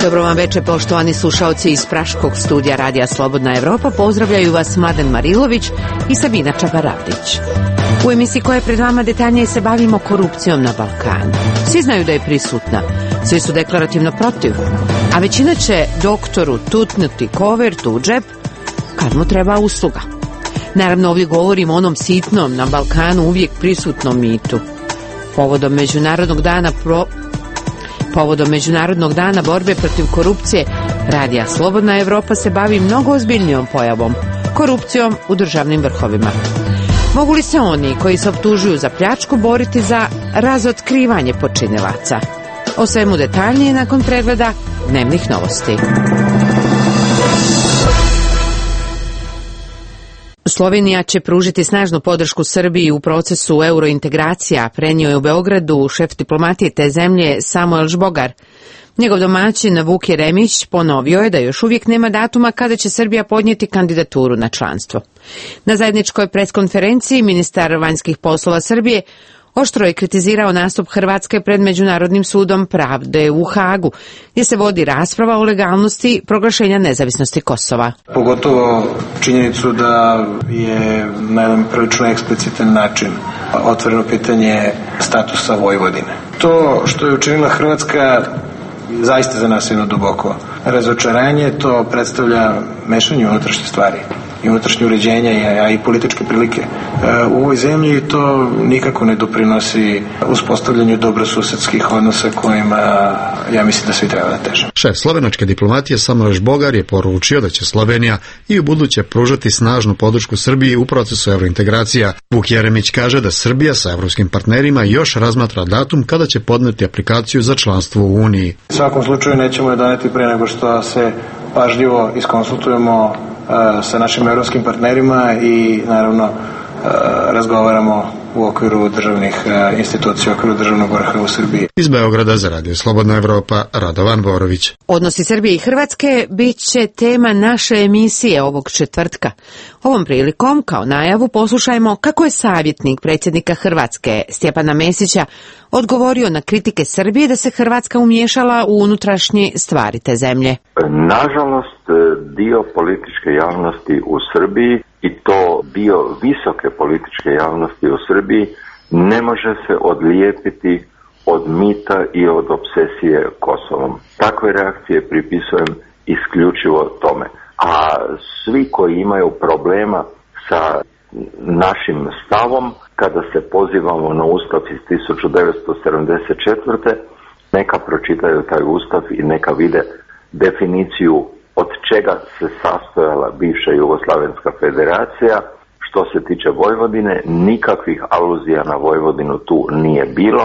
Dobro vam večer, poštovani slušaoci iz praškog studija Radija Slobodna Evropa. Pozdravljaju vas Mladen Marilović i Sabina Čabaravdić. U emisiji koja je pred vama detaljnije se bavimo korupcijom na Balkanu. Svi znaju da je prisutna, svi su deklarativno protiv, a većina će doktoru tutnuti kovertu u džep kad mu treba usluga. Naravno, ovdje govorimo o onom sitnom, na Balkanu uvijek prisutnom mitu. Povodom Međunarodnog dana borbe protiv korupcije, Radija Slobodna Evropa se bavi mnogo ozbiljnijom pojavom, korupcijom u državnim vrhovima. Mogu li se oni koji se optužuju za pljačku boriti za razotkrivanje počinilaca? O svemu detaljnije nakon pregleda dnevnih novosti. Slovenija će pružiti snažnu podršku Srbiji u procesu eurointegracija, prenio je u Beogradu šef diplomatije te zemlje Samuel Žbogar. Njegov domaćin Vuk Jeremić ponovio je da još uvijek nema datuma kada će Srbija podnijeti kandidaturu na članstvo. Na zajedničkoj preskonferenciji ministar vanjskih poslova Srbije oštro je kritizirao nastup Hrvatske pred Međunarodnim sudom pravde u Hagu, gdje se vodi rasprava o legalnosti proglašenja nezavisnosti Kosova. Pogotovo činjenicu da je na jedan prilično eksplicitan način otvoreno pitanje statusa Vojvodine. To što je učinila Hrvatska zaista za nas jedno duboko razočaranje, to predstavlja mešanje unutrašnje stvari i unutrašnje uređenje, a i političke prilike u ovoj zemlji, i to nikako ne doprinosi uspostavljanju dobrosusedskih odnosa kojima ja mislim da svi treba da teže. Šef slovenačke diplomatije Samuel Žbogar je poručio da će Slovenija i u buduće pružati snažnu podršku Srbiji u procesu evrointegracija. Vuk Jeremić kaže da Srbija sa evropskim partnerima još razmatra datum kada će podneti aplikaciju za članstvo u Uniji. U svakom slučaju nećemo je doneti pre nego što se pažljivo iskonsultujemo sa našim evropskim partnerima i naravno razgovaramo u okviru državnih institucija, u okviru državnog vrha u Srbiji. Iz Beograda za Radio Slobodna Evropa, Radovan Borović. Odnosi Srbije i Hrvatske bit će tema naše emisije ovog četvrtka. Ovom prilikom, kao najavu, poslušajmo kako je savjetnik predsjednika Hrvatske, Stjepana Mesića, odgovorio na kritike Srbije da se Hrvatska umiješala u unutrašnje stvari te zemlje. Nažalost, dio političke javnosti u Srbiji, i to dio visoke političke javnosti u Srbiji, ne može se odlijepiti od mita i od obsesije Kosovom. Takve reakcije pripisujem isključivo tome. A svi koji imaju problema sa našim stavom, kada se pozivamo na Ustav iz 1974. neka pročitaju taj Ustav i neka vide definiciju od čega se sastojala bivša Jugoslavenska federacija. Što se tiče Vojvodine, nikakvih aluzija na Vojvodinu tu nije bilo.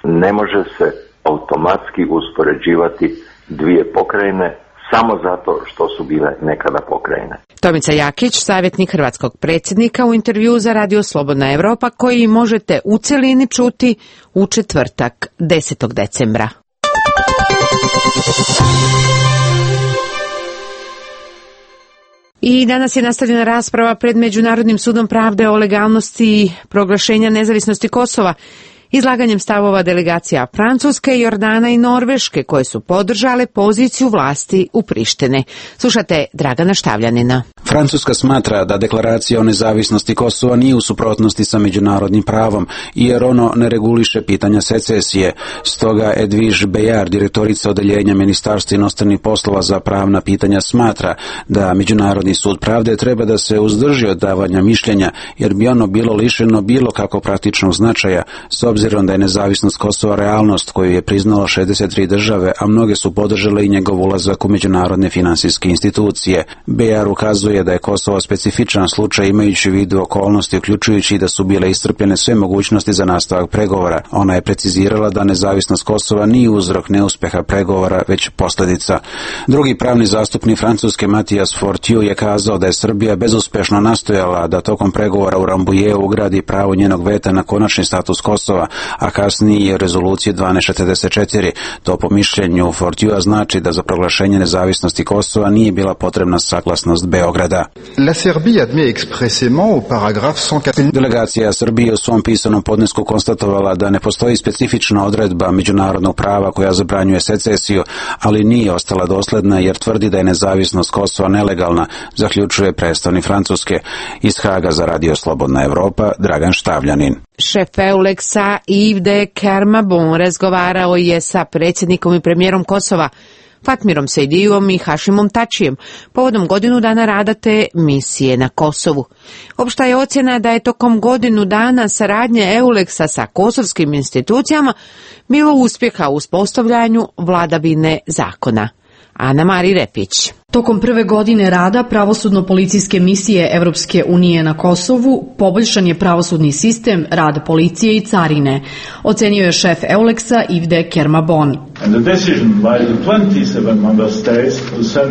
Ne može se automatski uspoređivati dvije pokrajine samo zato što su bile nekada pokrajine. Tomica Jakić, savjetnik hrvatskog predsjednika, u intervju za Radio Slobodna Evropa, koji možete u celini čuti u četvrtak 10. decembra. I danas je nastavljena rasprava pred Međunarodnim sudom pravde o legalnosti proglašenja nezavisnosti Kosova, izlaganjem stavova delegacija Francuske, Jordana i Norveške, koje su podržale poziciju vlasti u Prištini. Slušate Dragana Štavljanina. Francuska smatra da deklaracija o nezavisnosti Kosova nije u suprotnosti sa međunarodnim pravom, jer ono ne reguliše pitanja secesije. Stoga Edwige Bejar, direktorica odeljenja Ministarstva inostranih poslova za pravna pitanja, smatra da Međunarodni sud pravde treba da se uzdrži od davanja mišljenja, jer bi ono bilo lišeno bilo kako praktičnog značaja, s obzirom da je nezavisnost Kosova realnost koju je priznalo 63 države, a mnoge su podržale i njegov ulazak u međunarodne finansijske institucije. Bejar ukazuje da je Kosovo specifičan slučaj, imajući u vidu okolnosti, uključujući da su bile iscrpljene sve mogućnosti za nastavak pregovora. Ona je precizirala da nezavisnost Kosova nije uzrok neuspeha pregovora, već posljedica. Drugi pravni zastupnik Francuske, Mathias Fortieu, je kazao da je Srbija bezuspešno nastojala da tokom pregovora u Rambujeu ugradi pravo njenog veta na konačni status Kosova. Kosova, a kasnije rezolucije 1244. To po mišljenju Fortiua znači da za proglašenje nezavisnosti Kosova nije bila potrebna saglasnost Beograda. La Serbie admet expressément au paragraphe 104. Delegacija Srbije u svom pisanom podnesku konstatovala da ne postoji specifična odredba međunarodnog prava koja zabranjuje secesiju, ali nije ostala dosledna jer tvrdi da je nezavisnost Kosova nelegalna, zaključuje predstavnik Francuske. Iz Haga za Radio Slobodna Evropa, Dragan Štavljanin. Šef Euleksa Yves de Kermabon razgovarao je sa predsjednikom i premijerom Kosova Fatmirom Sejdijom i Hašimom Tačijem povodom godinu dana rada te misije na Kosovu. Opšta je ocjena da je tokom godinu dana saradnje Euleksa sa kosovskim institucijama bilo uspjeha u uspostavljanju vladavine zakona. Ana-Mari Repić. Tokom prve godine rada pravosudno-policijske misije Evropske unije na Kosovu poboljšan je pravosudni sistem, rad policije i carine, ocenio je šef Euleksa Yves de Kermabon.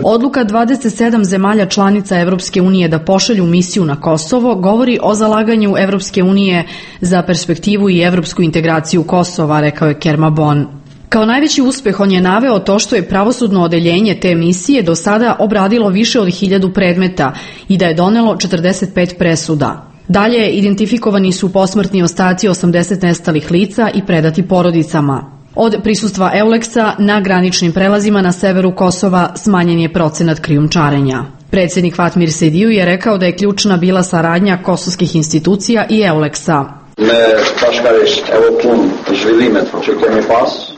Odluka 27 zemalja članica Evropske unije da pošalju misiju na Kosovo govori o zalaganju Evropske unije za perspektivu i evropsku integraciju Kosova, rekao je Kermabon. Kao najveći uspeh on je naveo to što je pravosudno odeljenje te misije do sada obradilo više od 1000 predmeta i da je donelo 45 presuda. Dalje, identifikovani su posmrtni ostaci 80 nestalih lica i predati porodicama. Od prisustva Euleksa na graničnim prelazima na severu Kosova smanjen je procenat krijumčarenja. Predsjednik Fatmir Sejdiju je rekao da je ključna bila saradnja kosovskih institucija i Euleksa.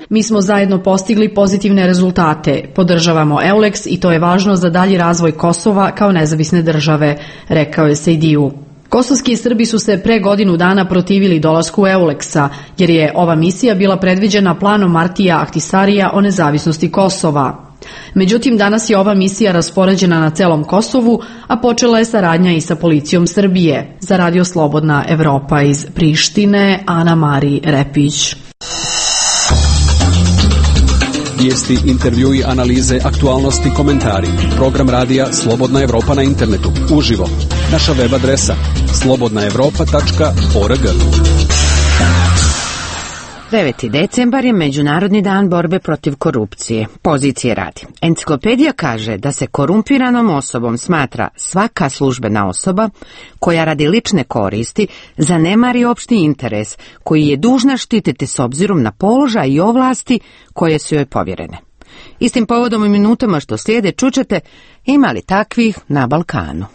Mi smo zajedno postigli pozitivne rezultate. Podržavamo Euleks i to je važno za dalji razvoj Kosova kao nezavisne države, rekao je Sejdiju. Kosovski Srbi su se pre godinu dana protivili dolasku Euleksa, jer je ova misija bila predviđena planom Martija Ahtisarija o nezavisnosti Kosova. Međutim, danas je ova misija raspoređena na celom Kosovu, a počela je saradnja i sa policijom Srbije. Za Radio Slobodna Evropa iz Prištine, Ana-Mari Repić. Vijesti, intervjui, analize, aktualnosti, komentari. Program radija Slobodna Evropa na internetu. Uživo. Naša web adresa slobodnaevropa.org. 9. decembar je Međunarodni dan borbe protiv korupcije. Pozicije radi. Enciklopedija kaže da se korumpiranom osobom smatra svaka službena osoba koja radi lične koristi zanemari opšti interes koji je dužna štititi s obzirom na položaj i ovlasti koje su joj povjerene. Istim povodom i minutama što slijede čućete ima li takvih na Balkanu.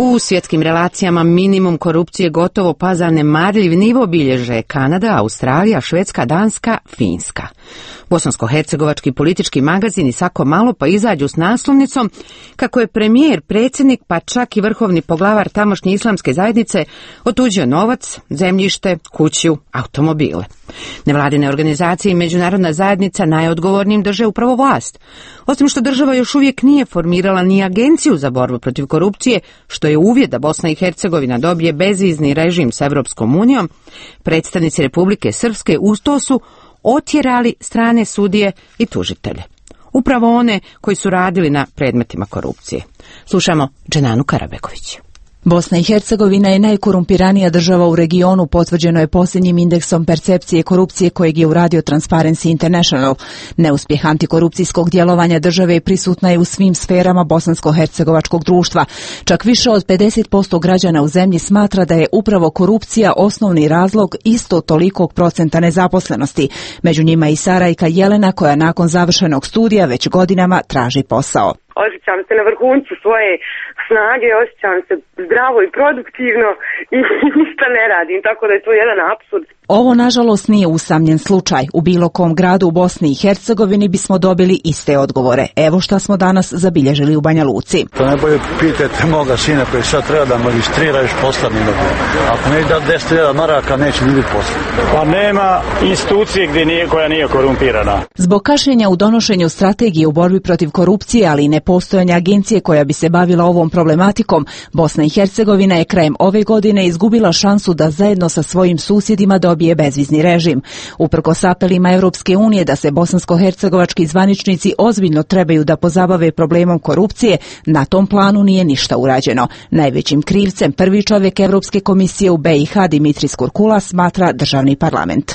U svjetskim relacijama minimum korupcije gotovo pa zanemarljiv nivo bilježe Kanada, Australija, Švedska, Danska, Finska. Bosansko-hercegovački politički magazini svako malo pa izađu s naslovnicom kako je premijer, predsjednik pa čak i vrhovni poglavar tamošnje islamske zajednice otuđio novac, zemljište, kuću, automobile. Nevladine organizacije i međunarodna zajednica najodgovornijim drže upravo vlast. Osim što država još uvijek nije formirala ni agenciju za borbu protiv korupcije, što je uvjet da Bosna i Hercegovina dobije bezizni režim s Evropskom unijom, predstavnici Republike Srpske uz to su otjerali strane sudije i tužitelje. Upravo one koji su radili na predmetima korupcije. Slušamo Dženanu Karabeković. Bosna i Hercegovina je najkorumpiranija država u regionu, potvrđeno je posljednjim indeksom percepcije korupcije kojeg je uradio Transparency International. Neuspjeh antikorupcijskog djelovanja države prisutna je u svim sferama bosansko-hercegovačkog društva. Čak više od 50% građana u zemlji smatra da je upravo korupcija osnovni razlog isto tolikog procenta nezaposlenosti. Među njima i Sarajka Jelena koja nakon završenog studija već godinama traži posao. Osjećam se na vrhuncu svoje snage, osjećam se zdravo i produktivno i ništa ne radim, tako da je to jedan apsurd. Ovo nažalost nije usamljen slučaj. U bilo kom gradu u Bosni i Hercegovini bismo dobili iste odgovore. Evo šta smo danas zabilježili u Banja Luci. To najbolje pitajte moga sina koji sad treba da magistrira još posla mi dobro. Ako ne da 10.000 maraka neće ni biti posla. Pa nema institucije koja nije korumpirana. Zbog kašnjenja u donošenju strategije u borbi protiv korupcije, ali i nepostojanja agencije koja bi se bavila ovom problematikom, Bosna i Hercegovina je krajem ove godine izgubila šansu da zajedno sa svojim susjedima dobije bezvizni režim. Uprkos apelima Europske unije da se bosansko-hercegovački zvaničnici ozbiljno trebaju da pozabave problemom korupcije, na tom planu nije ništa urađeno. Najvećim krivcem prvi čovjek Europske komisije u BiH Dimitris Kurkula smatra državni parlament.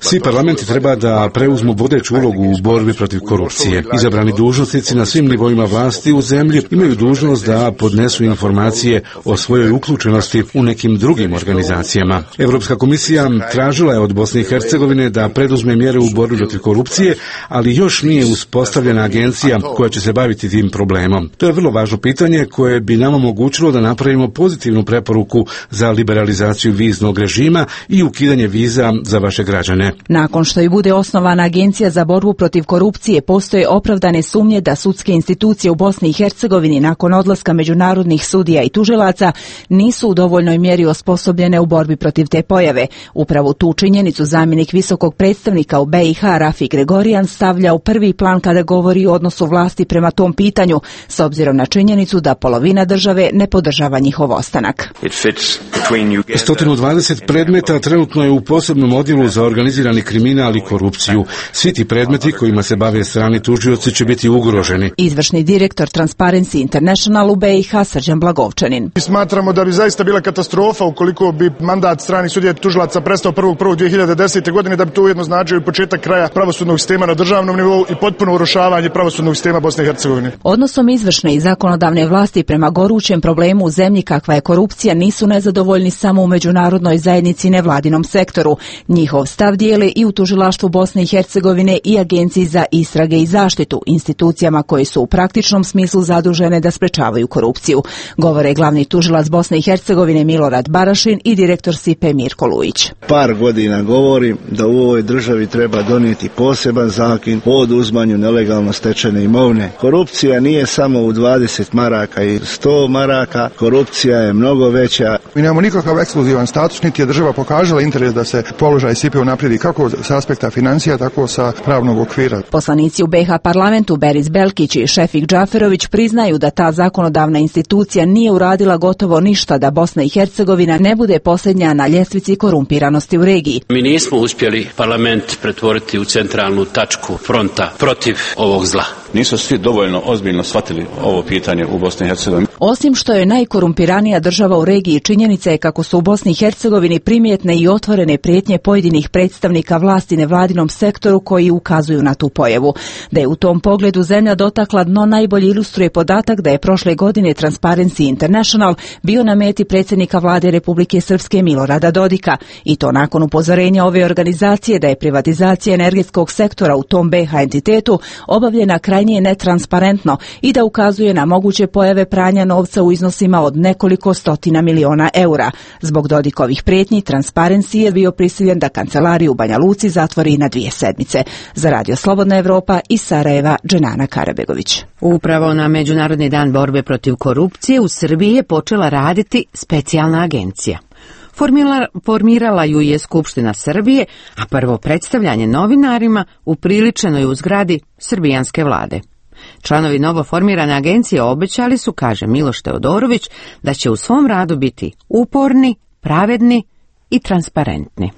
Svi parlamenti treba da preuzmu vodeću ulogu u borbi protiv korupcije. Izabrani dužnosnici na svim nivoima vlasti u zemlji imaju dužnost da podnesu informacije o svojoj uključenosti u nekim drugim organizacijama. Europska komisija tražila je od Bosne i Hercegovine da preduzme mjere u borbi protiv korupcije, ali još nije uspostavljena agencija koja će se baviti tim problemom. To je vrlo važno pitanje koje bi nam omogućilo da napravimo pozitivnu preporuku za liberalizaciju viznog režima i ukidanje viza za vaše građane. Nakon što i bude osnovana agencija za borbu protiv korupcije, postoje opravdane sumnje da sudske institucije u Bosni i Hercegovini nakon odlaska međunarodnih sudija i tužilaca nisu u dovoljnoj mjeri osposobljene u borbi protiv te pojave. Upravo tu činjenicu zamjenik visokog predstavnika u BiH Rafi Gregorijan stavlja u prvi plan kada govori o odnosu vlasti prema tom pitanju, s obzirom na činjenicu da polovina države ne podržava njihov ostanak. 120 predmeta trenutno je u posebnom odjelu za organizirani kriminal i korupciju. Svi ti predmeti kojima se bave strani tužioci će biti ugroženi. Izvršni direktor Transparency International u BiH Srđan Blagovčanin. Smatramo da bi zaista bila katastrofa ukoliko bi mandat stranih sudija i tužilaca prestao 1.1.2010. godine, da bi to ujedno značio i početak kraja pravosudnog sistema na državnom nivou i potpuno urušavanje pravosudnog sistema Bosne i Hercegovine. Odnosom izvršne i zakonodavne vlasti prema gorućem problemu u zemlji kakva je korupcija nisu nezadovoljni samo u međunarodnoj zajednici i nevladinom sektoru. Njihov stav dijele i u tužilaštvu Bosne i Hercegovine i Agenciji za istrage i zaštitu, institucijama koje su u praktičnom smislu zadužene da sprečavaju korupciju. Govore glavni tužilac Bosne i Hercegovine Milorad Barašin i direktor SIPE Mirko Lujić. Par godina govorim da u ovoj državi treba donijeti poseban zakon o oduzmanju nelegalno stečene imovine. Korupcija nije samo u 20 maraka i 100 maraka, korupcija je mnogo veća. Mi nemamo nikakav ekskluzivan status, niti je država pokazala interes da se položaj SIPE unaprijedi kako sa aspekta financija, tako sa pravnog okvira. Poslanici u BiH parlamentu Beris Belkić i Šefik Džaferović priznaju da ta zakonodavna institucija nije uradila gotovo ništa da Bosna i Hercegovina ne bude posljednja na ljestvici korumpiranosti u regiji. Mi nismo uspjeli parlament pretvoriti u centralnu tačku fronta protiv ovog zla. Nisu svi dovoljno ozbiljno shvatili ovo pitanje u Bosni i Hercegovini. Osim što je najkorumpiranija država u regiji, činjenica je kako su u Bosni i Hercegovini primjetne i otvorene prijetnje pojedinih predstavnika vlasti nevladinom sektoru koji ukazuju na tu pojavu. Da je u tom pogledu zemlja dotakla dno najbolje ilustruje podatak da je prošle godine Transparency International bio na meti predsjednika vlade Republike Srpske Milorada Dodika, i to nakon upozorenja ove organizacije da je privatizacija energetskog sektora u tom BiH entitetu obavljena krajnije netransparentno i da ukazuje na moguće pojave pranja novca u iznosima od nekoliko stotina miliona eura. Zbog Dodikovih prijetnji Transparency je bio prisiljen da kancelariju u Banja Luci zatvori na 2 sedmice. Za Radio Slobodna Evropa iz Sarajeva, Dženana Karabegović. Upravo na Međunarodni dan borbe protiv korupcije u Srbiji je počela raditi specijalna agencija. Formirala ju je Skupština Srbije, a prvo predstavljanje novinarima upriličeno je u zgradi srbijanske vlade. Članovi novoformirane agencije obećali su, kaže Miloš Teodorović, da će u svom radu biti uporni, pravedni i transparentni.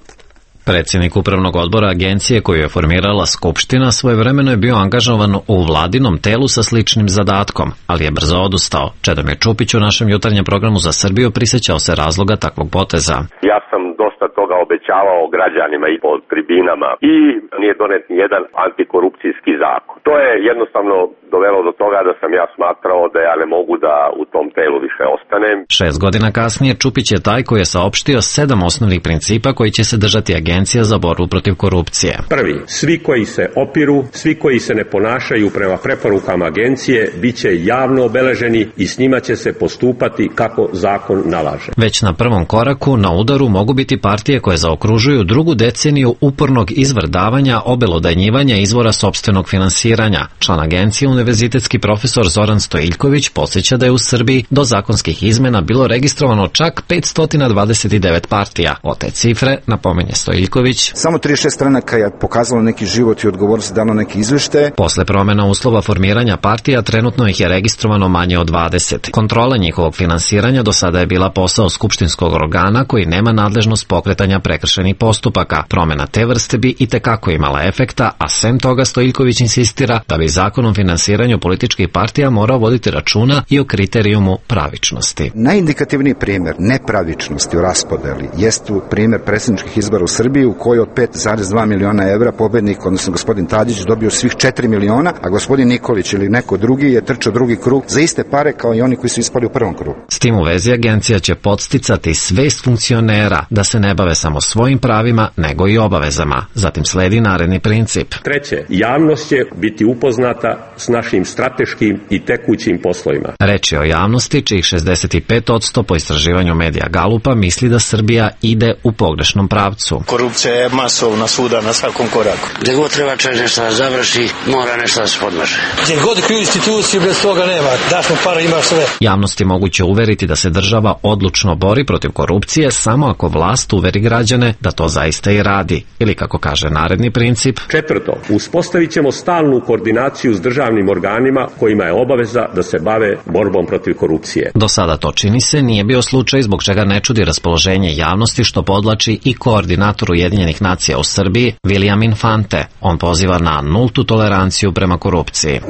Predsjednik upravnog odbora agencije koju je formirala Skupština svojevremeno je bio angažovan u vladinom telu sa sličnim zadatkom, ali je brzo odustao. Čedomir Čupić u našem jutarnjem programu za Srbiju prisjećao se razloga takvog poteza. Ja sam dosta toga obećavao građanima i po tribinama i nije donet ni jedan antikorupcijski zakon. To je jednostavno dovelo do toga da sam ja smatrao da ja ne mogu da u tom telu više ostanem. 6 godina kasnije Čupić je taj koji je saopštio 7 osnovnih principa koji će se držati Agencija za borbu protiv korupcije. Prvi, svi koji se opiru, svi koji se ne ponašaju prema preporukama agencije bit će javno obeleženi i s njima će se postupati kako zakon nalaže. Već na prvom koraku na udaru mogu biti partije informacije koje zaokružuju drugu deceniju upornog izvrdavanja, obelodanjivanja izvora sopstvenog finansiranja. Član agencije, univerzitetski profesor Zoran Stojiljković, podsjeća da je u Srbiji do zakonskih izmena bilo registrovano čak 529 partija. O te cifre napominje Stojiljković. Samo 36 stranaka je pokazalo neki život i odgovornost, dano neki izveštaje. Posle promjena uslova formiranja partija trenutno ih je registrovano manje od 20. Kontrola njihovog finansiranja do sada je bila posao skupštinskog organa koji nema nadležnost pokretanja prekršajnih postupaka. Promjena te vrste bi itekako imala efekta, a sem toga Stojiljković insistira da bi zakon o finansiranju političkih partija morao voditi računa i o kriterijumu pravičnosti. Najindikativniji primjer nepravičnosti u raspodeli jest primjer predsjedničkih izbora u Srbiji u kojoj od 5,2 miliona evra pobednik, odnosno gospodin Tadić, dobio svih 4 miliona, a gospodin Nikolić ili neko drugi je trčao drugi krug za iste pare kao i oni koji su ispali u prvom krugu. S tim u vezi agencija će podsticati svest funkcionera da se ne bave samo svojim pravima, nego i obavezama. Zatim sledi naredni princip. Treće, javnost će biti upoznata s našim strateškim i tekućim poslovima. Reč je o javnosti, čijih 65% po istraživanju medija Galupa misli da Srbija ide u pogrešnom pravcu. Korupcija je masovna svuda na svakom koraku. Gdje god treba čovjek nešto da završi, mora nešto da se podmaže. Gdje god kriju instituciju, bez toga nema. Daš mu para, imaš sve. Javnost je moguće uveriti da se država odlučno bori protiv korupcije samo ako vlast uveri građane da to zaista i radi. Ili kako kaže naredni princip. Četvrto, uspostavit ćemo stalnu koordinaciju s državnim organima kojima je obaveza da se bave borbom protiv korupcije. Do sada to čini se nije bio slučaj, zbog čega ne čudi raspoloženje javnosti, što podlači i koordinator Ujedinjenih nacija u Srbiji, William Infante. On poziva na nultu toleranciju prema korupciji.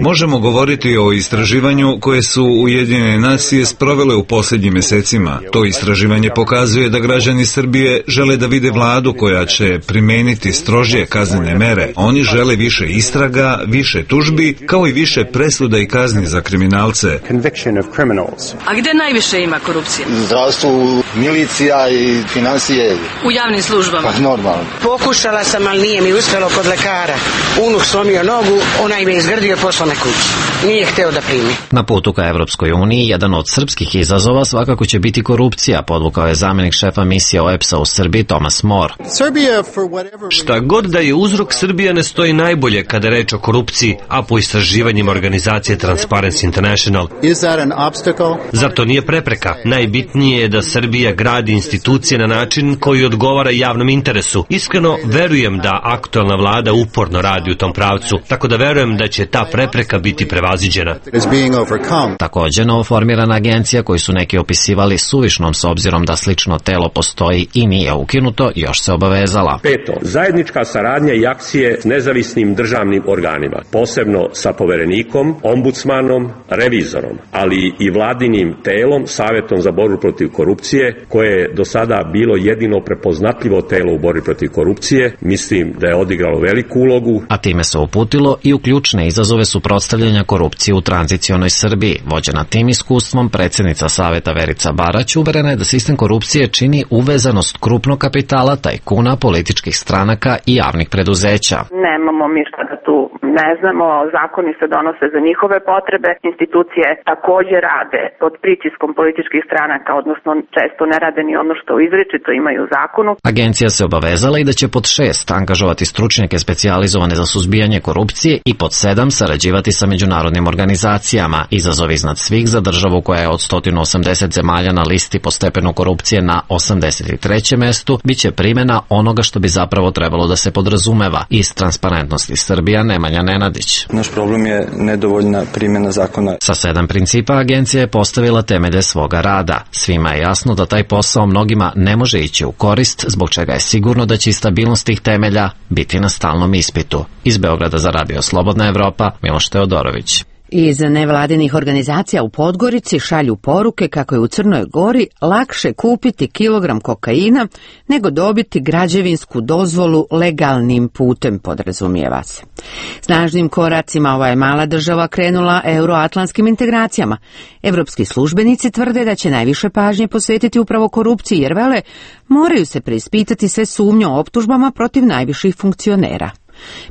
Možemo govoriti o istraživanju koje su Ujedinjene nacije sprovele u posljednjim mjesecima. To istraživanje pokazuje da građani Srbije žele da vide vladu koja će primeniti strožije kaznene mere. Oni žele više istraga, više tužbi, kao i više presuda i kazni za kriminalce. A gdje najviše ima korupcije? Zdravstvu, milicija i financije. U javnim službama? Pa normalno. Pokušala sam, ali nije mi uspjelo kod lekara. Unuk slomio nogu, onaj me izgrdio i poslao na kući. Nije hteo da primi. Na putu ka Evropskoj uniji, jedan od srpskih izazova svakako će biti korupcija, podvukao je zamjenik šefa misije OEBS-a u Srbiji Thomas More. Šta god da je uzrok, Srbija ne stoji najbolje kada je reč o korupciji, a po istraživanjima organizacije Transparency International. Zar to nije prepreka? Najbitnije je da Srbija gradi institucije na način koji odgovara javnom interesu. Iskreno verujem da aktualna vlada uporno radi u tom pravcu, tako da verujem da će ta prepreka biti prevaziđena. Također, novoformirana agencija koju su neki opisivali suvišnom s obzirom da slično telo postoji i nije ukinuto, još se obavezala. Peto, zajednička saradnja i akcije s nezavisnim državnim organima, posebno sa poverenikom, ombudsmanom, revizorom, ali i vladinim telom, Savjetom za borbu protiv korupcije, koje je do sada bilo jedino prepoznatljivo telo u borbi protiv korupcije. Mislim da je odigralo veliku ulogu. A time se uputilo i u ključne izazove suprotstavljanja korupcije u tranzicionoj Srbiji. Vođena tim iskustvom, predsjednica Saveta Verica Barać uverena je da sistem korupcije čini uvezanost krupnog kapitala, tajkuna, političkih stranaka i javnih preduzeća. Nemamo mi šta da tu ne znamo, zakoni se donose za njihove potrebe, institucije također rade pod pritiskom političkih stranaka, odnosno često ne rade ni ono što izričito imaju u zakonu. Agencija se obavezala i da će pod 6 angažovati stručnjake specijalizovane za suzbijanje korupcije i pod 7 sarađivati sa međunarodnim organizacijama. Izazov iznad svih za državu koja je od 180 zemalja na listi po stepenu korupcije na 83. mestu biće primjena onoga što bi zapravo trebalo da se podrazumeva. Iz Transparentnosti Srbija, Nemanja Nenadić. Naš problem je nedovoljna primjena zakona. Sa 7 principa agencija je postavila temelje svoga rada. Svima je jasno da taj posao mnogima ne može ići u korist, zbog čega je sigurno da će i stabilnost tih temelja biti na stalnom ispitu. Iz Beograda za Radio Slobodna Evropa, Miloš Teodorović. Iz nevladinih organizacija u Podgorici šalju poruke kako je u Crnoj Gori lakše kupiti kilogram kokaina nego dobiti građevinsku dozvolu legalnim putem, podrazumijeva se. Snažnim koracima ova je mala država krenula euroatlantskim integracijama. Evropski službenici tvrde da će najviše pažnje posvetiti upravo korupciji, jer vele moraju se preispitati sve sumnje o optužbama protiv najviših funkcionera.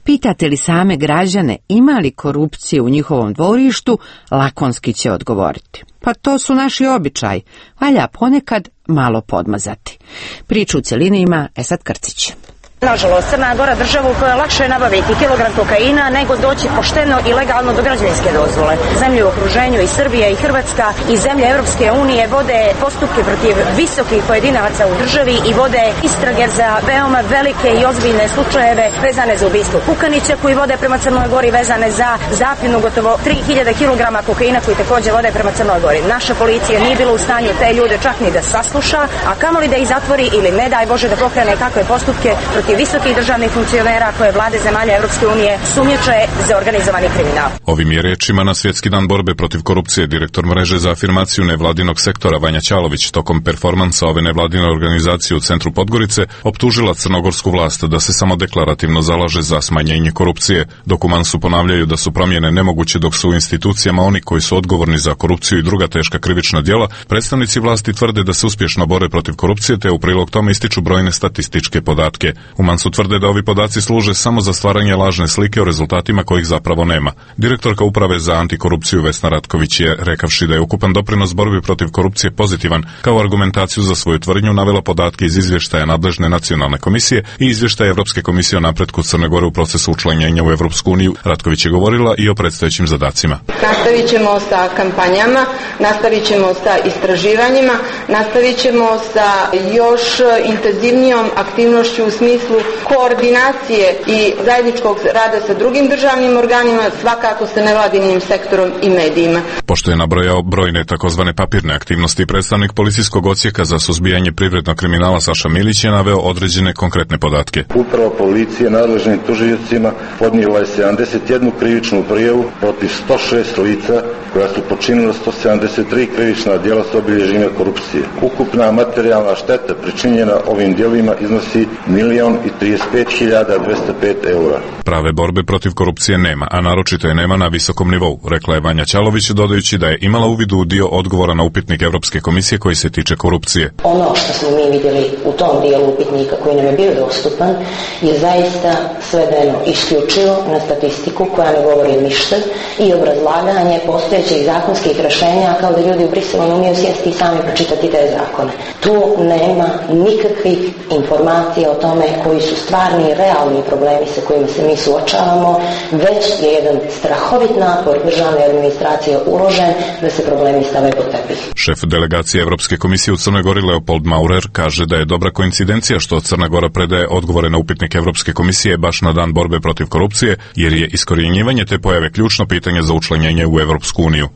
Pitate li same građane ima li korupcije u njihovom dvorištu, lakonski će odgovoriti. Pa to su naši običaji, valja ponekad malo podmazati. Priču u cjelini ima Esad Krcić. Nažalost, Crna Gora država u kojoj je lakše nabaviti kilogram kokaina nego doći pošteno i legalno do građevinske dozvole. Zemlje u okruženju i Srbija i Hrvatska i zemlje Europske unije vode postupke protiv visokih pojedinaca u državi i vode istrage za veoma velike i ozbiljne slučajeve vezane za ubistvo Kukanića koji vode prema Crnoj Gori, vezane za zapljenu gotovo 3000 kg kokaina koji također vode prema Crnoj Gori. Naša policija nije bila u stanju te ljude čak ni da sasluša, a kamoli da ih zatvori ili ne daj Bože da pokrene kakve postupke protiv visokih državnih funkcionera koje vlade zemalja Europske unije sumnjiče za organizovani kriminal. Ovim je rečima na Svjetski dan borbe protiv korupcije direktor mreže za afirmaciju nevladinog sektora Vanja Ćalović tokom performansa ove nevladine organizacije u centru Podgorice optužila crnogorsku vlast da se samo deklarativno zalaže za smanjenje korupcije, dok u Mansu ponavljaju da su promjene nemoguće dok su u institucijama oni koji su odgovorni za korupciju i druga teška krivična djela. Predstavnici vlasti tvrde da se uspješno bore protiv korupcije te u prilog tome ističu brojne statističke podatke. U Mansu tvrde da ovi podaci služe samo za stvaranje lažne slike o rezultatima kojih zapravo nema. Direktorka uprave za antikorupciju Vesna Ratković je, rekavši da je ukupan doprinos borbi protiv korupcije pozitivan, kao argumentaciju za svoju tvrdnju navela podatke iz izvještaja nadležne nacionalne komisije i izvještaja Europske komisije o napretku Crne Gore u procesu učlanjenja u Europsku uniju. Ratković je govorila i o predstojećim zadacima. Nastavit ćemo sa kampanjama, nastavit ćemo sa istraživanjima, nastavit ćemo sa još intenzivnijom aktivnošću u smislu koordinacije i zajedničkog rada sa drugim državnim organima, svakako sa nevladinim sektorom i medijima. Pošto je nabrojao brojne takozvane papirne aktivnosti, predstavnik policijskog odsjeka za suzbijanje privrednog kriminala Saša Milić je naveo određene konkretne podatke. Uprava policije nadležnim tužiocima podnijela je 71 krivičnu prijavu protiv 106 lica koja su počinila 173 krivična djela s obilježjima korupcije. Ukupna materijalna šteta pričinjena ovim djelima iznosi 1.035.205 eura. Prave borbe protiv korupcije nema, a naročito je nema na visokom nivou, rekla je Vanja Ćalović, dodajući da je imala uvid u dio odgovora na upitnik Europske komisije koji se tiče korupcije. Ono što smo mi vidjeli u tom dijelu upitnika koji nam je bio dostupan je zaista svedeno isključivo na statistiku koja ne govori ništa i obrazlaganje postojećih zakonskih rješenja kao da ljudi u Briselu ne umiju sjesti i sami pročitati te zakone. Tu nema nikakvih informacija o tome koji su stvarni i realni problemi sa kojima se mi suočavamo, već je jedan strahovit napor državne administracije uložen da se problemi stave pod tepih. Šef delegacije Europske komisije u Crnoj Gori Leopold Maurer kaže da je dobra koincidencija što Crna Gora predaje odgovore na upitnik Europske komisije baš na dan borbe protiv korupcije, jer je iskorjenjivanje te pojave ključno pitanje za učlanjenje u Europsku uniju.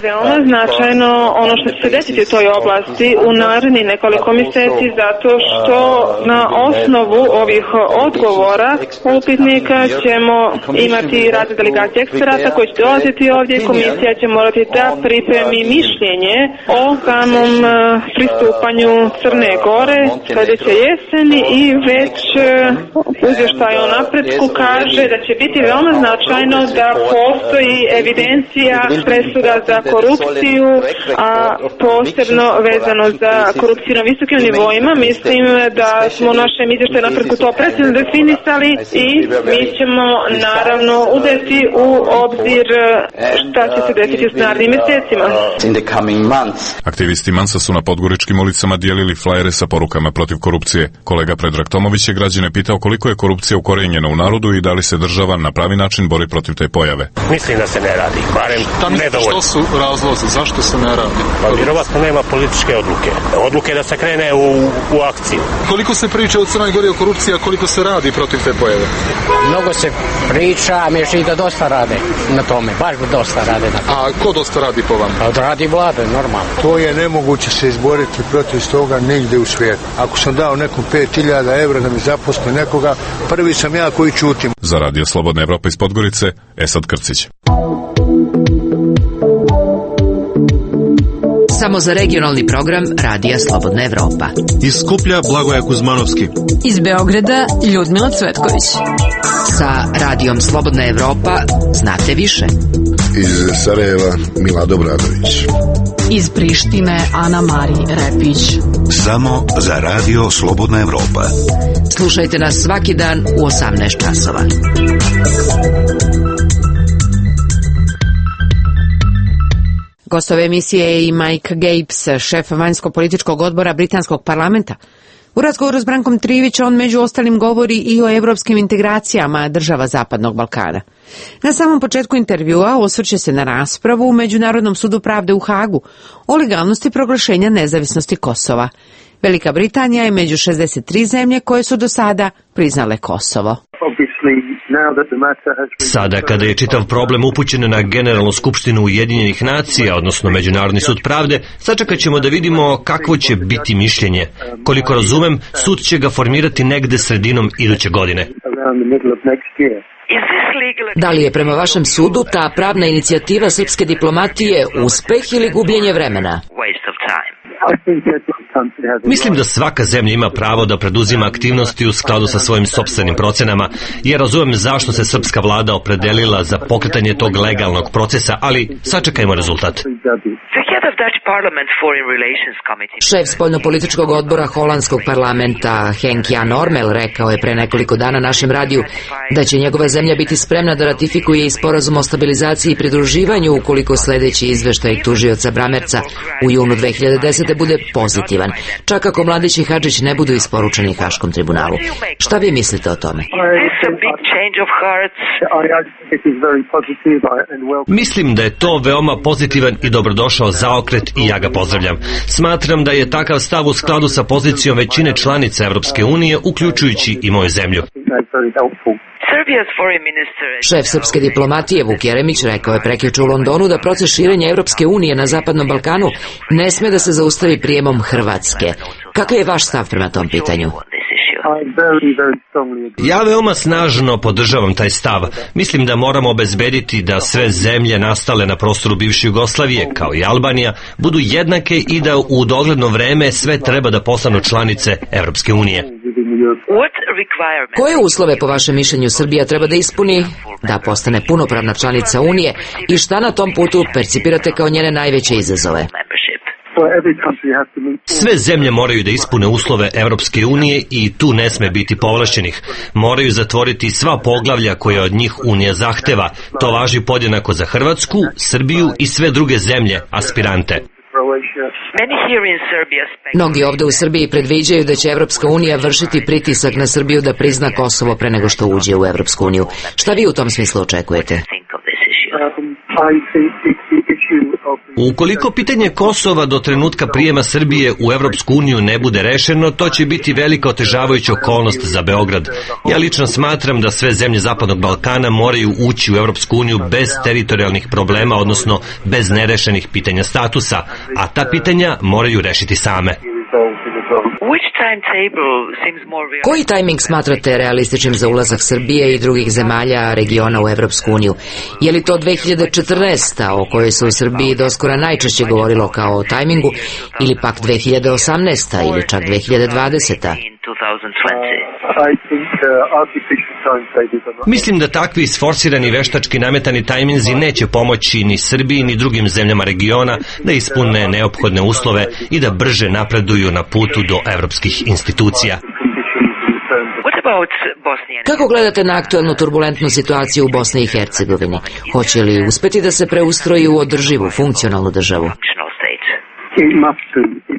Veoma značajno ono što će se desiti u toj oblasti u narednih nekoliko mjeseci, zato što na osnovu ovih odgovora upitnika ćemo imati rad delegacije eksperata koji će dolaziti ovdje i komisija će morati da pripremi mišljenje o samom pristupanju Crne Gore sljedeće jeseni i već izvještaj o napretku kaže da će biti veoma značajno da postoji evidencija presuda za korupciju, a posebno vezano za korupciju na visokim nivoima. Mislim da smo u našem izvještaju napretku to precizno definisali i mi ćemo naravno uzeti u obzir šta će se desiti u narednim mjesecima. Aktivisti Mansa su na podgoričkim ulicama dijelili flajere sa porukama protiv korupcije. Kolega Predrag Tomović je građane pitao koliko je korupcija ukorijenjena u narodu i da li se država na pravi način bori protiv te pojave. Mislim da se ne radi, barem nedovoljno. Što su razlozi, zašto se ne radi? Pa vjerovatno nema političke odluke. Odluke da se krene u akciju. Koliko se priča u Crnoj Gori o korupciji, a koliko se radi protiv te pojave? Mnogo se priča, a mi i da dosta rade na tome, baš dosta rade na tome. A ko dosta radi po vama? Pa radi vlada, normalno. To je nemoguće se izboriti protiv toga nigdje u svijetu. Ako sam dao nekom 5.000 evra da mi zaposle nekoga, prvi sam ja koji čutim. Za Radio Slobodna Evropa iz Podgorice, Esad Krcić. Samo za regionalni program Radija Slobodna Evropa. Iz Skuplja Blagoja Kuzmanovski. Iz Beograda Ljudmila Cvetković. Sa radijom Slobodna Evropa znate više. Iz Sarajeva Milado Bradović. Iz Prištine Ana Mari Repić. Samo za radio Slobodna Evropa. Slušajte nas svaki dan u 18 časova. Gost ove emisije je i Mike Gapes, šef vanjsko-političkog odbora Britanskog parlamenta. U razgovoru s Brankom Trivić on među ostalim govori i o evropskim integracijama država Zapadnog Balkana. Na samom početku intervjua osvrće se na raspravu u Međunarodnom sudu pravde u Hagu o legalnosti proglašenja nezavisnosti Kosova. Velika Britanija je među 63 zemlje koje su do sada priznale Kosovo. Sada kada je čitav problem upućen na Generalnu skupštinu Ujedinjenih nacija, odnosno Međunarodni sud pravde, sačekat ćemo da vidimo kakvo će biti mišljenje. Koliko razumem, sud će ga formirati negde sredinom iduće godine. Da li je prema vašem sudu ta pravna inicijativa srpske diplomatije uspeh ili gubljenje vremena? Mislim da svaka zemlja ima pravo da preduzima aktivnosti u skladu sa svojim sopstvenim procenama, jer razumem zašto se srpska vlada opredelila za pokretanje tog legalnog procesa, ali sačekajmo rezultat. Šef spoljnopolitičkog odbora holandskog parlamenta Henk Jan Ormel rekao je pre nekoliko dana našem radiju da će njegova zemlja biti spremna da ratifikuje i sporazum o stabilizaciji i pridruživanju ukoliko sledeći izveštaj tužioca Bramerca u junu 2010. bude pozitivan, čak ako Mladić i Hadžić ne budu isporučeni Haškom tribunalu. Šta vi mislite o tome? Mislim da je to veoma pozitivan i dobrodošao zaokret i ja ga pozdravljam. Smatram da je takav stav u skladu sa pozicijom većine članica Evropske unije, uključujući i moju zemlju. Šef srpske diplomatije Vuk Jeremić rekao je prekjuče u Londonu da proces širenja Evropske unije na Zapadnom Balkanu ne sme da se zaustavi prijemom Hrvatske. Kakav je vaš stav prema tom pitanju? Ja veoma snažno podržavam taj stav. Mislim da moramo obezbediti da sve zemlje nastale na prostoru bivše Jugoslavije, kao i Albanija, budu jednake i da u dogledno vreme sve treba da postanu članice Evropske unije. Koje uslove po vašem mišljenju Srbija treba da ispuni da postane punopravna članica Unije i šta na tom putu percipirate kao njene najveće izazove? Sve zemlje moraju da ispune uslove Evropske unije i tu ne sme biti povlašćenih. Moraju zatvoriti sva poglavlja koje od njih Unija zahteva. To važi podjednako za Hrvatsku, Srbiju i sve druge zemlje, aspirante. Mnogi ovde u Srbiji predviđaju da će Evropska unija vršiti pritisak na Srbiju da prizna Kosovo pre nego što uđe u Evropsku uniju. Šta vi u tom smislu očekujete? Ukoliko pitanje Kosova do trenutka prijema Srbije u Evropsku uniju ne bude rešeno, to će biti velika otežavajuća okolnost za Beograd. Ja lično smatram da sve zemlje Zapadnog Balkana moraju ući u Evropsku uniju bez teritorijalnih problema, odnosno bez nerešenih pitanja statusa, a ta pitanja moraju rešiti same. Koji tajming smatrate realističnim za ulazak Srbije i drugih zemalja regiona u Evropsku uniju? Je li to 2014. o kojoj se u Srbiji doskora najčešće govorilo kao o tajmingu, ili pak 2018. ili čak 2020. Mislim da takvi isforsirani veštački nametani tajminzi neće pomoći ni Srbiji ni drugim zemljama regiona da ispune neophodne uslove i da brže napreduju na putu do evropskih institucija. Kako gledate na aktuelnu turbulentnu situaciju u Bosni i Hercegovini? Hoće li uspeti da se preustroji u održivu, funkcionalnu državu?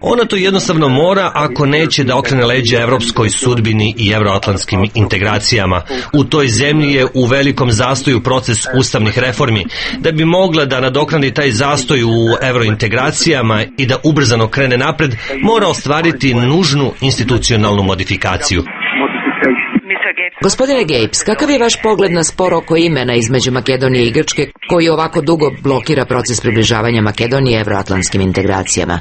Ona to jednostavno mora ako neće da okrene leđa evropskoj sudbini i evroatlantskim integracijama. U toj zemlji je u velikom zastoju proces ustavnih reformi. Da bi mogla da nadoknadi taj zastoj u evrointegracijama i da ubrzano krene napred, mora ostvariti nužnu institucionalnu modifikaciju. Gospodine Gapes, kakav je vaš pogled na spor oko imena između Makedonije i Grčke koji ovako dugo blokira proces približavanja Makedonije evroatlantskim integracijama?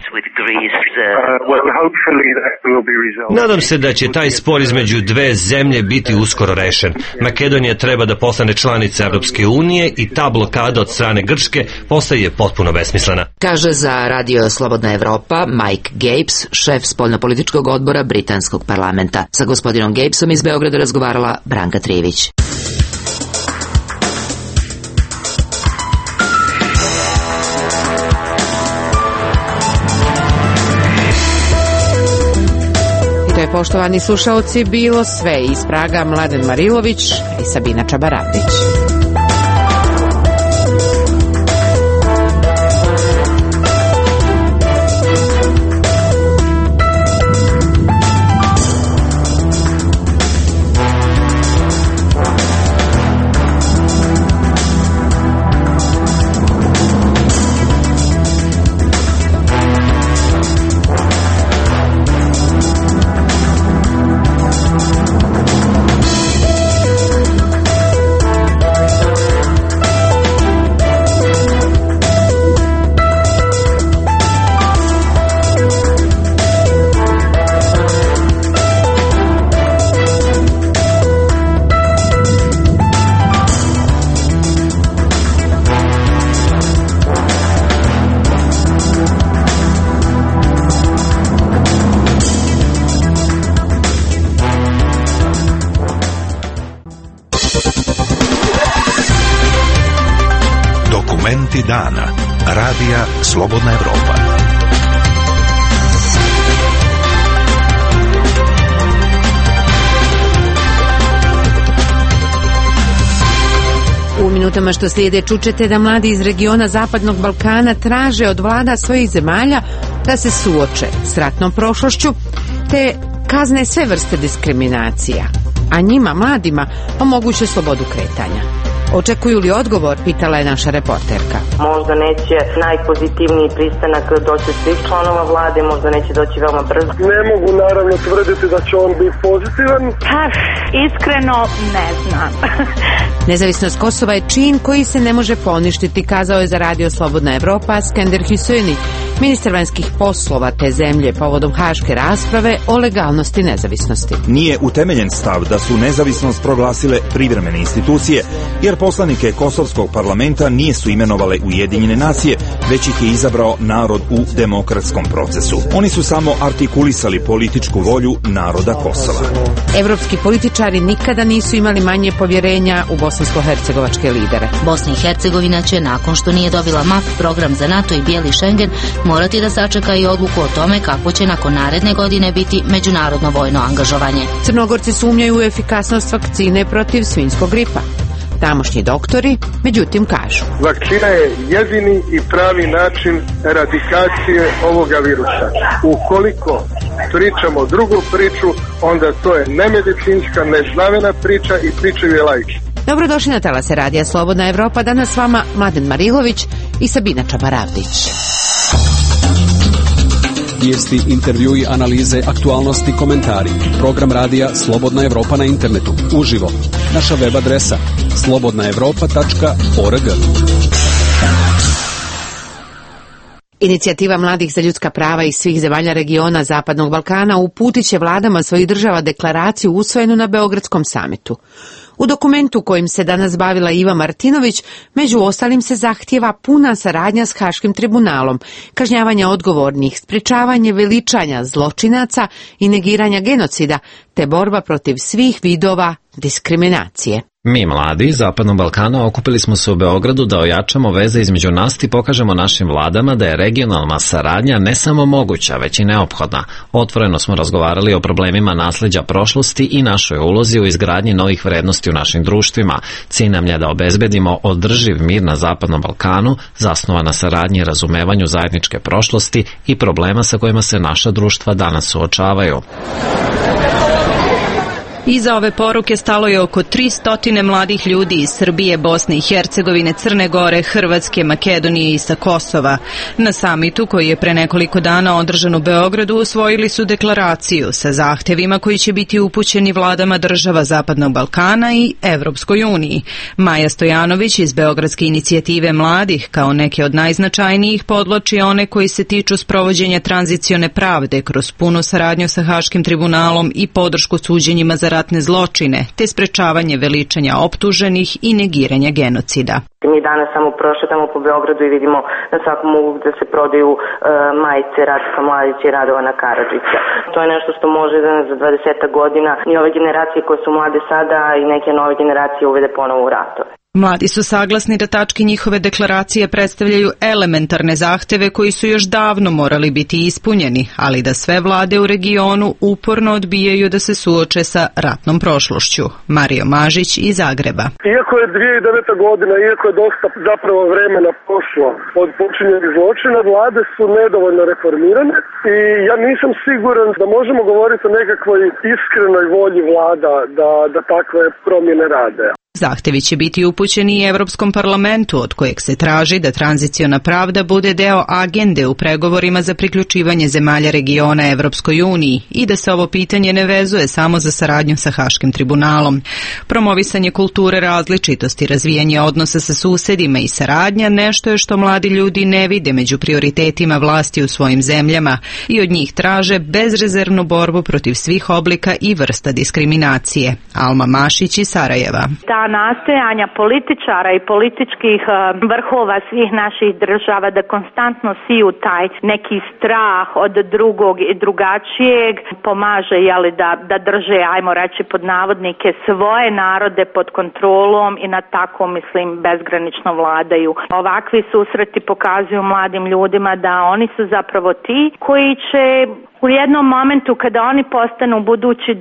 Nadam se da će taj spor između dve zemlje biti uskoro rešen. Makedonija treba da postane članica Evropske unije i ta blokada od strane Grčke postaje potpuno besmislena. Kaže za Radio Slobodna Evropa Mike Gapes, šef spoljnopolitičkog odbora Britanskog parlamenta. Sa gospodinom Gapesom iz Beograda razgovarala Branka Trivić. poštovani slušaoci, bilo sve iz Praga Mladen Marilović i Sabina Čabaradić. Dokumenti dana. Radija Slobodna Evropa. U minutama što slijede čućete da mladi iz regiona Zapadnog Balkana traže od vlada svojih zemalja da se suoče s ratnom prošlošću te kazne sve vrste diskriminacija, a njima, mladima, omoguće slobodu kretanja. Očekuju li odgovor, pitala je naša reporterka. Možda neće najpozitivniji pristanak doći od svih članova vlade, možda neće doći veoma brzo. Ne mogu naravno tvrditi da će on biti pozitivan. Iskreno ne znam. Nezavisnost Kosova je čin koji se ne može poništiti, kazao je za Radio Slobodna Evropa Skender Hüsejni, ministar vanjskih poslova te zemlje povodom haške rasprave o legalnosti nezavisnosti. Nije utemeljen stav da su nezavisnost proglasile privremene institucije, jer poslanike Kosovskog parlamenta nisu imenovale Ujedinjene nacije, već ih je izabrao narod u demokratskom procesu. Oni su samo artikulisali političku volju naroda Kosova. Evropski političari nikada nisu imali manje povjerenja u bosansko-hercegovačke lidere. Bosna i Hercegovina će, nakon što nije dobila MAP, program za NATO i bijeli Schengen, morati da sačeka i odluku o tome kako će nakon naredne godine biti međunarodno vojno angažovanje. Crnogorci sumnjaju u efikasnost vakcine protiv svinjskog gripa. Tamošnji doktori, međutim, kažu: vakcina je jedini i pravi način eradikacije ovoga virusa. Ukoliko pričamo drugu priču, onda to je nemedicinska, neznavena priča i pričaju je laici. Dobrodošli na talase Radija Slobodna Evropa, danas s vama Mladen Marilović i Sabina Čabaradić. Vijesti, intervjui, analize, aktualnosti, komentari. Program radija Slobodna Evropa na internetu. Uživo. Naša web adresa slobodnaevropa.org. Inicijativa mladih za ljudska prava iz svih zemalja regiona Zapadnog Balkana uputit će vladama svojih država deklaraciju usvojenu na Beogradskom samitu. U dokumentu kojim se danas bavila Iva Martinović, među ostalim se zahtijeva puna saradnja s Haškim tribunalom, kažnjavanje odgovornih, sprečavanje veličanja zločinaca i negiranja genocida, te borba protiv svih vidova diskriminacije. Mi mladi iz Zapadnog Balkana okupili smo se u Beogradu da ojačamo veze između nas i pokažemo našim vladama da je regionalna saradnja ne samo moguća, već i neophodna. Otvoreno smo razgovarali o problemima nasleđa prošlosti i našoj ulozi u izgradnji novih vrednosti u našim društvima. Cilj nam je da obezbedimo održiv mir na Zapadnom Balkanu, zasnovan na saradnji i razumevanju zajedničke prošlosti i problema sa kojima se naša društva danas suočavaju. Iza ove poruke stalo je oko 300 mladih ljudi iz Srbije, Bosne i Hercegovine, Crne Gore, Hrvatske, Makedonije i sa Kosova. Na samitu koji je pre nekoliko dana održan u Beogradu usvojili su deklaraciju sa zahtevima koji će biti upućeni vladama država Zapadnog Balkana i Evropskoj uniji. Maja Stojanović iz Beogradske inicijative mladih kao neke od najznačajnijih podvlači one koji se tiču sprovođenja tranzicione pravde kroz punu saradnju sa Haškim tribunalom i podršku suđenjima za ratne zločine, te sprečavanje veličanja optuženih i negiranja genocida. Mi danas samo prošetamo po Beogradu i vidimo na svakom uglu da se prodaju majice Ratka Mladića i Radovana Karadžića. To je nešto što može da za 20 godina i ove generacije koje su mlade sada i neke nove generacije uvede ponovo u ratove. Mladi su saglasni da tačke njihove deklaracije predstavljaju elementarne zahteve koji su još davno morali biti ispunjeni, ali da sve vlade u regionu uporno odbijaju da se suoče sa ratnom prošlošću. Mario Mažić iz Zagreba. Iako je 2009. godina, iako je dosta zapravo vremena prošlo od počinjenih zločina, vlade su nedovoljno reformirane i ja nisam siguran da možemo govoriti o nekakvoj iskrenoj volji vlada da takve promjene rade. Zahtevi će biti upućeni i Evropskom parlamentu, od kojeg se traži da tranziciona pravda bude deo agende u pregovorima za priključivanje zemalja regiona Evropskoj uniji i da se ovo pitanje ne vezuje samo za saradnju sa Haškim tribunalom. Promovisanje kulture različitosti, razvijanje odnosa sa susedima i saradnja nešto je što mladi ljudi ne vide među prioritetima vlasti u svojim zemljama i od njih traže bezrezervnu borbu protiv svih oblika i vrsta diskriminacije. Alma Mašić iz Sarajeva. Nastojanja političara i političkih vrhova svih naših država da konstantno siju taj neki strah od drugog i drugačijeg pomaže da drže, ajmo reći pod navodnike, svoje narode pod kontrolom i na tako, mislim, bezgranično vladaju. Ovakvi susreti pokazuju mladim ljudima da oni su zapravo ti koji će u jednom momentu kada oni postanu budući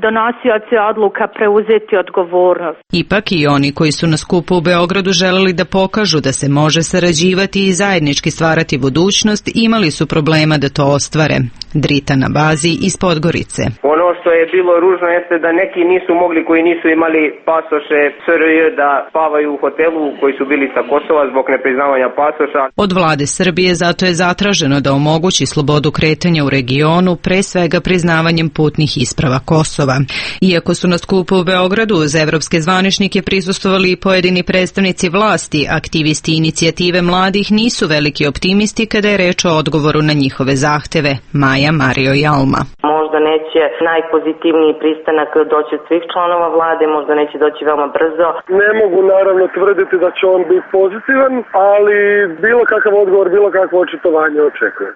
donosioci odluka preuzeti odgovornost. Ipak i oni koji su na skupu u Beogradu želeli da pokažu da se može sarađivati i zajednički stvarati budućnost, imali su problema da to ostvare. Drita na bazi iz Podgorice. Ono što je bilo ružno jeste da neki nisu mogli, koji nisu imali pasoše SRJ, da spavaju u hotelu, koji su bili sa Kosova zbog nepriznavanja pasoša. Od vlade Srbije zato je zatraženo da omogući slobodu kretanja u regionu, pre svega priznavanjem putnih isprava Kosova. Iako su na skupu u Beogradu uz evropske zvaničnike prisustvovali i pojedini predstavnici vlasti, aktivisti inicijative mladih nisu veliki optimisti kada je reč o odgovoru na njihove zahteve. Maja, Mario i Alma. Možda neće najpozitivniji pristanak doći od svih članova vlade, možda neće doći veoma brzo. Ne mogu naravno tvrditi da će on biti pozitivan, ali bilo kakav odgovor, bilo kakvo očitovanje očekujem.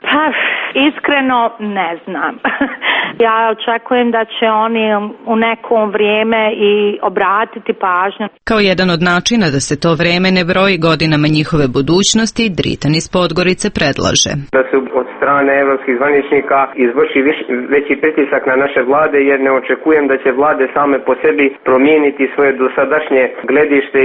Iskreno ne znam. Ja očekujem da će oni u nekom vrijeme i obratiti pažnju. Kao jedan od načina da se to vreme ne broji godinama njihove budućnosti, Dritan iz Podgorice predlaže da se od strane evropskih zvaničnika izvrši veći pritisak na naše vlade, jer ne očekujem da će vlade same po sebi promijeniti svoje dosadašnje gledište.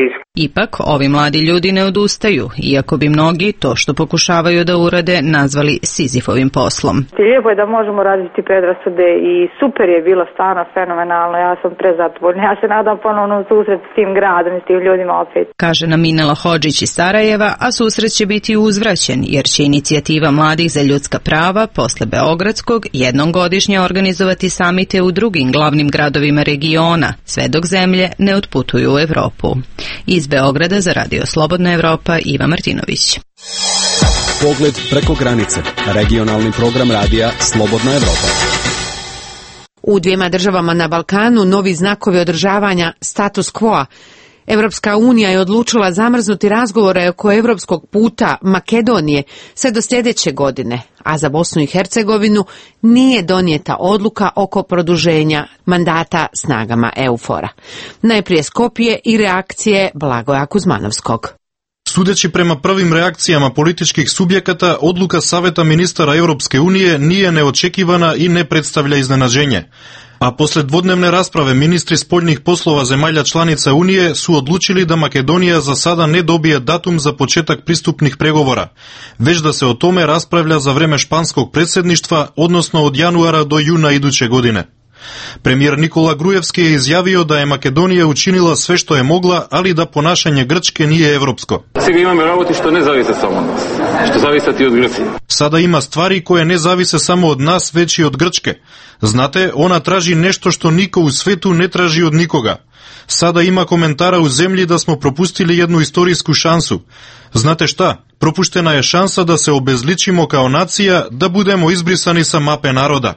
Ipak, ovi mladi ljudi ne odustaju, iako bi mnogi to što pokušavaju da urade nazvali Sizifovim poslom. Lijepo je da možemo raditi predrasude i super je bilo stvarno fenomenalno, ja sam prezadovoljna. Ja se nadam ponovno susret s tim gradom i s tim ljudima opet. Kaže nam Minela Hodžić iz Sarajeva, a susret će biti uzvraćen, jer će inicijativa mladih za ljudska prava posle Beogradskog jednom godišnje organizovati samite u drugim glavnim gradovima regiona, sve dok zemlje ne otputuju u Evropu. Iz Beograda za Radio Slobodna Evropa, Iva Martinović. Pogled preko granice. Regionalni program radija Slobodna Evropa. U dvijema državama na Balkanu novi znakovi održavanja status quo-a. Evropska unija je odlučila zamrznuti razgovore oko evropskog puta Makedonije sve do sljedeće godine, a za Bosnu i Hercegovinu nije donijeta odluka oko produženja mandata snagama EUFOR-a. Najprije Skopje i reakcije Blagoja Kuzmanovskog. Sudeći prema prvim reakcijama političkih subjekata, odluka Saveta ministara Europske unije nije neočekivana i ne predstavlja iznenađenje. A posle dvodnevne rasprave ministri spoljnih poslova zemalja članica Unije su odlučili da Makedonija za sada ne dobije datum za početak pristupnih pregovora, već da se o tome raspravlja za vreme španskog predsjedništva, odnosno od januara do juna iduće godine. Premijer Nikola Grujevski je izjavio da je Makedonija učinila sve što je mogla, ali da ponašanje Grčke nije evropsko. Сега имаме работи што не зависе само од нас, што зависат и од Грција. Sada ima stvari koje ne zavise samo od nas, već i od Grčke. Znate, ona traži nešto što niko u svetu ne traži od nikoga. Sada ima komentara u zemlji da smo propustili jednu istorijsku šansu. Znate šta? Propuštena je šansa da se obezličimo kao nacija, da budemo izbrisani sa mape naroda.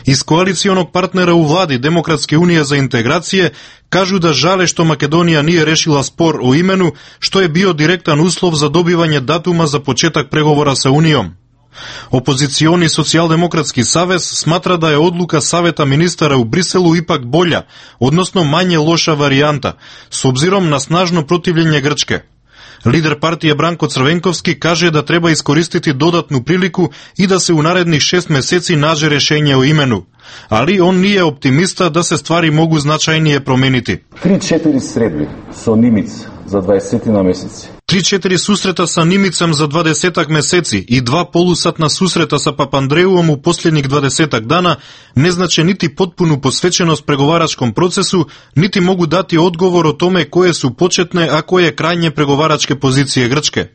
Iz koalicijonog partnera u vladi Demokratske unije za integracije kažu da žale što Makedonija nije rešila spor o imenu, što je bio direktan uslov za dobivanje datuma za početak pregovora sa Unijom. Опозициoni Социјалдемократски savez сматра да е одлука Савета министара у Бриселу ипак болја, односно мање лоша варијанта, с обзиром на снажно противлење Грчке. Лидер партија Бранко Црвенковски каже да треба искористити додатну прилику и да се у наредних 6 месеци наже решење о имену. Али он не е оптимиста да се ствари могу значајнije променити. 3-4 средби со Нимиц за 20 на месеци. 3-4 сусрета са Нимицам за 20 месеци и 2 полусатна сусрета са Папандреуом у последник 20 дана не значи нити потпуну посвеченост преговарачком процесу, нити могу дати одговор о томе кои су почетне, а кои е крајње преговарачке позиције Грчке.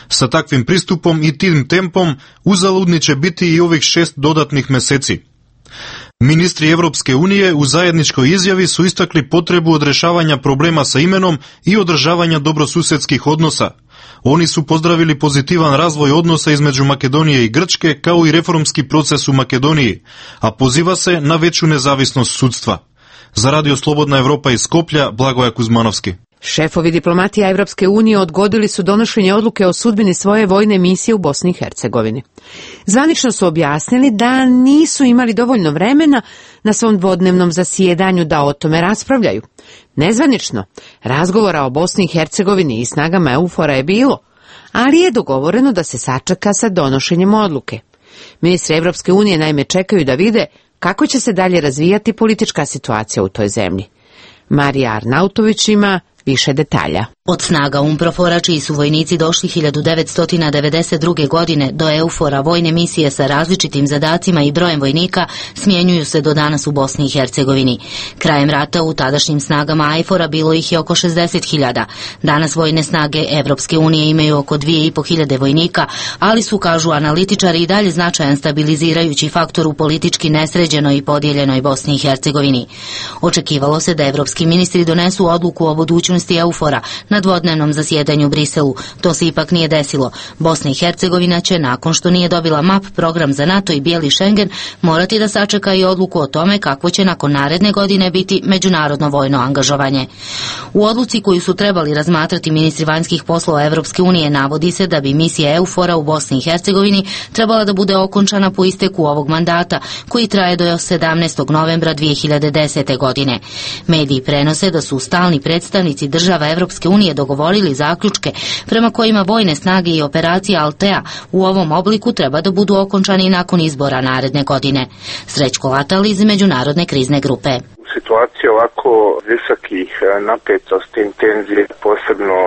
Sa takvim pristupom i tim tempom uzaludni će biti i ovih 6 dodatnih meseci. Ministri Evropske unije u zajedničkoj izjavi su istakli potrebu odrešavanja problema sa imenom i održavanja dobrosusedskih odnosa. Oni su pozdravili pozitivan razvoj odnosa između Makedonije i Grčke, kao i reformski proces u Makedoniji, a poziva se na veću nezavisnost sudstva. Za Radio Slobodna Evropa iz Skoplja, Blagoja Kuzmanovski. Šefovi diplomatija Evropske unije odgodili su donošenje odluke o sudbini svoje vojne misije u Bosni i Hercegovini. Zvanično su objasnili da nisu imali dovoljno vremena na svom dvodnevnom zasjedanju da o tome raspravljaju. Nezvanično, razgovora o Bosni i Hercegovini i snagama EUFOR-a je bilo, ali je dogovoreno da se sačeka sa donošenjem odluke. Ministri Evropske unije naime čekaju da vide kako će se dalje razvijati politička situacija u toj zemlji. Marija Arnautović ima više detalja. Od snaga UNPROFOR-a, čiji su vojnici došli 1992. godine do EUFOR-a, vojne misije sa različitim zadacima i brojem vojnika smjenjuju se do danas u Bosni i Hercegovini. Krajem rata u tadašnjim snagama IFOR-a bilo ih je oko 60.000. Danas vojne snage Evropske unije imaju oko 2.500 vojnika, ali su, kažu analitičari, i dalje značajan stabilizirajući faktor u politički nesređenoj i podijeljenoj Bosni i Hercegovini. Očekivalo se da evropski ministri donesu odluku o budućnosti EUFOR-a na dvodnevnom zasjedanju u Briselu. To se ipak nije desilo. Bosna i Hercegovina će, nakon što nije dobila MAP, program za NATO i bijeli Schengen, morati da sačeka i odluku o tome kako će nakon naredne godine biti međunarodno vojno angažovanje. U odluci koju su trebali razmatrati ministri vanjskih poslova Evropske unije navodi se da bi misija EUFOR-a u Bosni i Hercegovini trebala da bude okončana po isteku ovog mandata, koji traje do 17. novembra 2010. godine. Mediji prenose da su stalni predstavnici država Evropske unije dogovorili zaključke prema kojima vojne snage i operacija Altea u ovom obliku treba da budu okončani nakon izbora naredne godine. Srećko Latal iz Međunarodne krizne grupe. Situacija ovako visokih napetosti, intenzije, posebno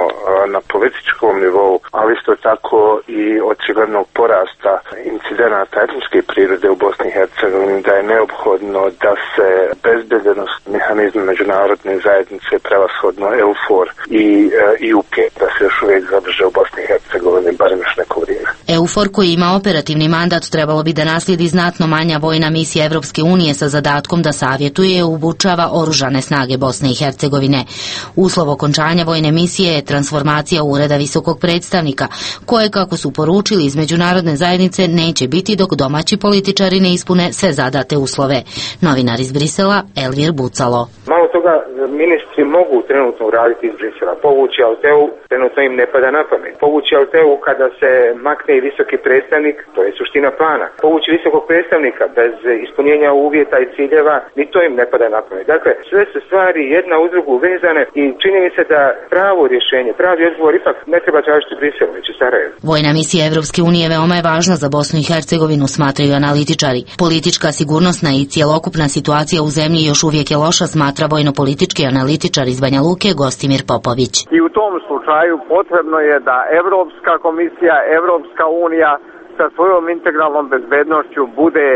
na političkom nivou, ali isto tako i očiglednog porasta incidenata etničke prirode u Bosni i Hercegovini, da je neophodno da se bezbednost mehanizma međunarodne zajednice, prevashodno EUFOR i IUK, da se još uvijek zadrže u Bosni i Hercegovini, barem još neko vrijeme. EUFOR, koji ima operativni mandat, trebalo bi da naslijedi znatno manja vojna misija Evropske unije sa zadatkom da savjetuje i obučava oružane snage Bosne i Hercegovine. Uslov okončanja vojne misije je transformacija Ureda visokog predstavnika, koje, kako su poručili iz međunarodne zajednice, neće biti dok domaći političari ne ispune sve zadate uslove. Novinar iz Brisela, Elvir Bucalo. Malo toga ministri mogu trenutno uraditi iz Brisela. Povući Alteu, trenutno im ne pada na pamet. Povući Alteu kada se makne i visoki predstavnik, to je suština plana. Povući visokog predstavnika bez ispunjenja uvjeta i ciljeva, ni to im ne pada na pamet. Dakle, sve su stvari jedna uz drugu vezane i čini mi se da pravo rješenje, pravi odgovor ipak ne treba tražiti Briselu, već u Sarajevu. Vojna misija Evropske unije veoma je važna za Bosnu i Hercegovinu, smatraju analitičari. Politička, sigurnosna i cijelokupna situacija u zemlji još uvijek je loša, smatra vojno-politički analitičar iz Banja Luke Gostimir Popović. I u tom slučaju potrebno je da Evropska komisija, Evropska unija sa svojom integralnom bezbednošću bude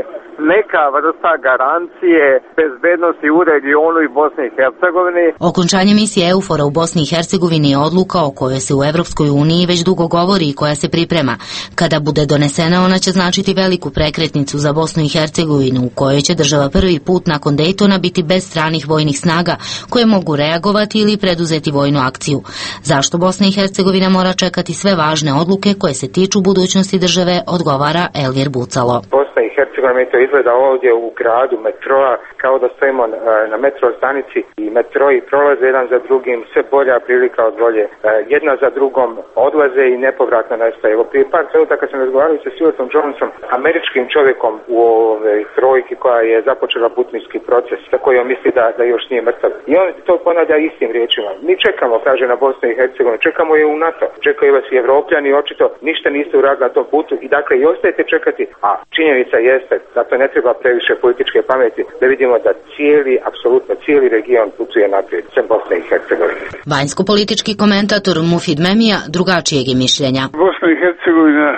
neka vrsta garancije bezbednosti u regionu i Bosni i Hercegovini. Okončanje misije EUFOR-a u Bosni i Hercegovini je odluka o kojoj se u Evropskoj uniji već dugo govori i koja se priprema. Kada bude donesena, ona će značiti veliku prekretnicu za Bosnu i Hercegovinu, u kojoj će država prvi put nakon Dejtona biti bez stranih vojnih snaga koje mogu reagovati ili preduzeti vojnu akciju. Zašto Bosna i Hercegovina mora čekati sve važne odluke koje se tiču budućnosti države, odgovara Elvir Bucalo. Bosna i Hercegovini to izgleda ovdje u gradu metroa kao da stojimo na metro stanici i metroi prolaze jedan za drugim, sve bolja prilika od bolje. Jedna za drugom odlaze i nepovratno nestaje. Evo prije par trenutaka kad sam razgovarao sa Stuartom Johnsonom, američkim čovjekom u ovoj trojki koja je započela butninski proces, za koji on misli da još nije mrtav. I on to ponavlja istim riječima. Mi čekamo, kaže, na Bosnu i Hercegovinu, čekamo je u NATO, čekaju vas i Evropljani, očito ništa niste uradili na tom putu i dakle i ostajete čekati, a činjenica jeste da to ne treba previše političke pameti, da vidimo da apsolutno cijeli region putuje naprijed, sem Bosne i Hercegovine. Vanjsko-politički komentator Mufid Memija drugačijeg je mišljenja. Bosna i Hercegovina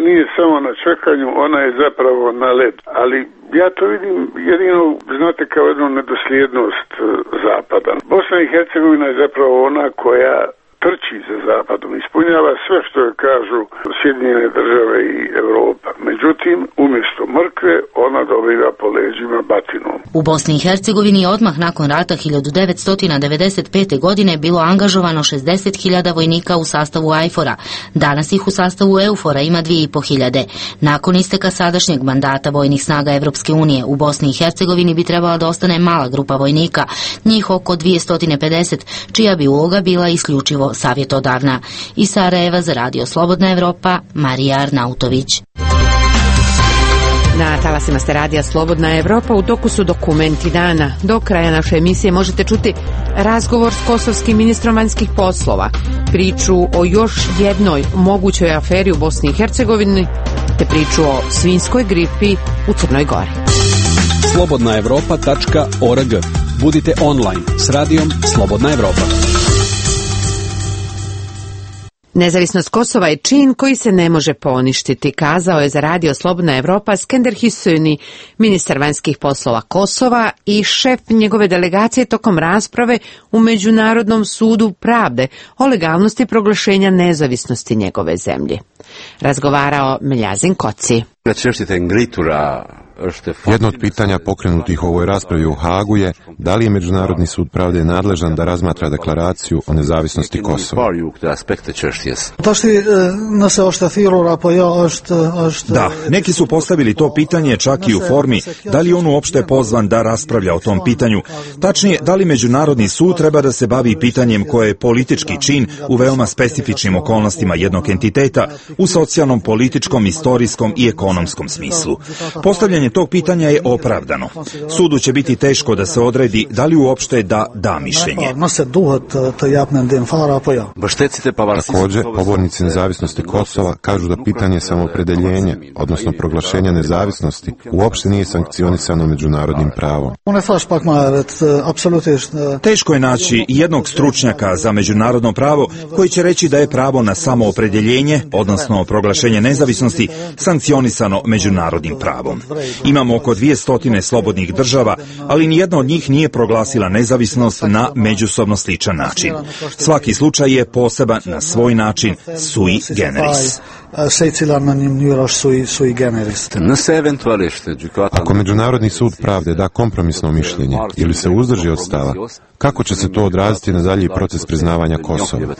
nije samo na čekanju, ona je zapravo na led, ali ja to vidim jedino, znate, kao jednu nedosljednost Zapada. Bosna i Hercegovina je zapravo ona koja trči za Zapadom, ispunjava sve što je kažu Sjedinjene države i Evropa. Međutim, umjesto mrkve, ona dobiva po leđima batinom. U Bosni i Hercegovini je odmah nakon rata 1995. godine bilo angažovano 60.000 vojnika u sastavu AIFOR-a. Danas ih u sastavu EUFOR-a ima 2.500. Nakon isteka sadašnjeg mandata vojnih snaga Evropske unije u Bosni i Hercegovini bi trebala da ostane mala grupa vojnika, njih oko 250, čija bi uloga bila isključivo savjetodavna. Iz Sarajeva za Radio Slobodna Evropa, Marija Arnautović. Na talasima ste Radija Slobodna Evropa, u toku su dokumenti dana. Do kraja naše emisije možete čuti razgovor s kosovskim ministrom vanjskih poslova, priču o još jednoj mogućoj aferi u Bosni i Hercegovini, te priču o svinjskoj gripi u Crnoj Gori. slobodnaevropa.org. Budite online s Radijom Slobodna Evropa. Nezavisnost Kosova je čin koji se ne može poništiti, kazao je za Radio Slobodna Evropa Skender Hüseyin, ministar vanjskih poslova Kosova i šef njegove delegacije tokom rasprave u Međunarodnom sudu pravde o legalnosti proglašenja nezavisnosti njegove zemlje. Razgovarao Meljazin Koci. Jedno od pitanja pokrenutih u ovoj raspravi u Hagu je da li je Međunarodni sud pravde nadležan da razmatra deklaraciju o nezavisnosti Kosova. Da, neki su postavili to pitanje čak i u formi da li on uopšte pozvan da raspravlja o tom pitanju. Tačnije, da li Međunarodni sud treba da se bavi pitanjem koje je politički čin u veoma specifičnim okolnostima jednog entiteta u socijalnom, političkom, istorijskom i ekonomskom smislu. Postavljanje tog pitanja je opravdano. Sudu će biti teško da se odredi da li uopšte da mišljenje. Također, pobornici nezavisnosti Kosova kažu da pitanje samoopredeljenja, odnosno proglašenja nezavisnosti, uopšte nije sankcionisano međunarodnim pravom. Teško je naći jednog stručnjaka za međunarodno pravo koji će reći da je pravo na samoopredeljenje, odnosno proglašenje nezavisnosti, sankcionisano međunarodnim pravom. Imamo oko 200 slobodnih država, ali nijedna od njih nije proglasila nezavisnost na međusobno sličan način. Svaki slučaj je poseban na svoj način, sui generis. Ako Međunarodni sud pravde da kompromisno mišljenje ili se uzdrži od stava, kako će se to odraziti na dalji proces priznavanja Kosova?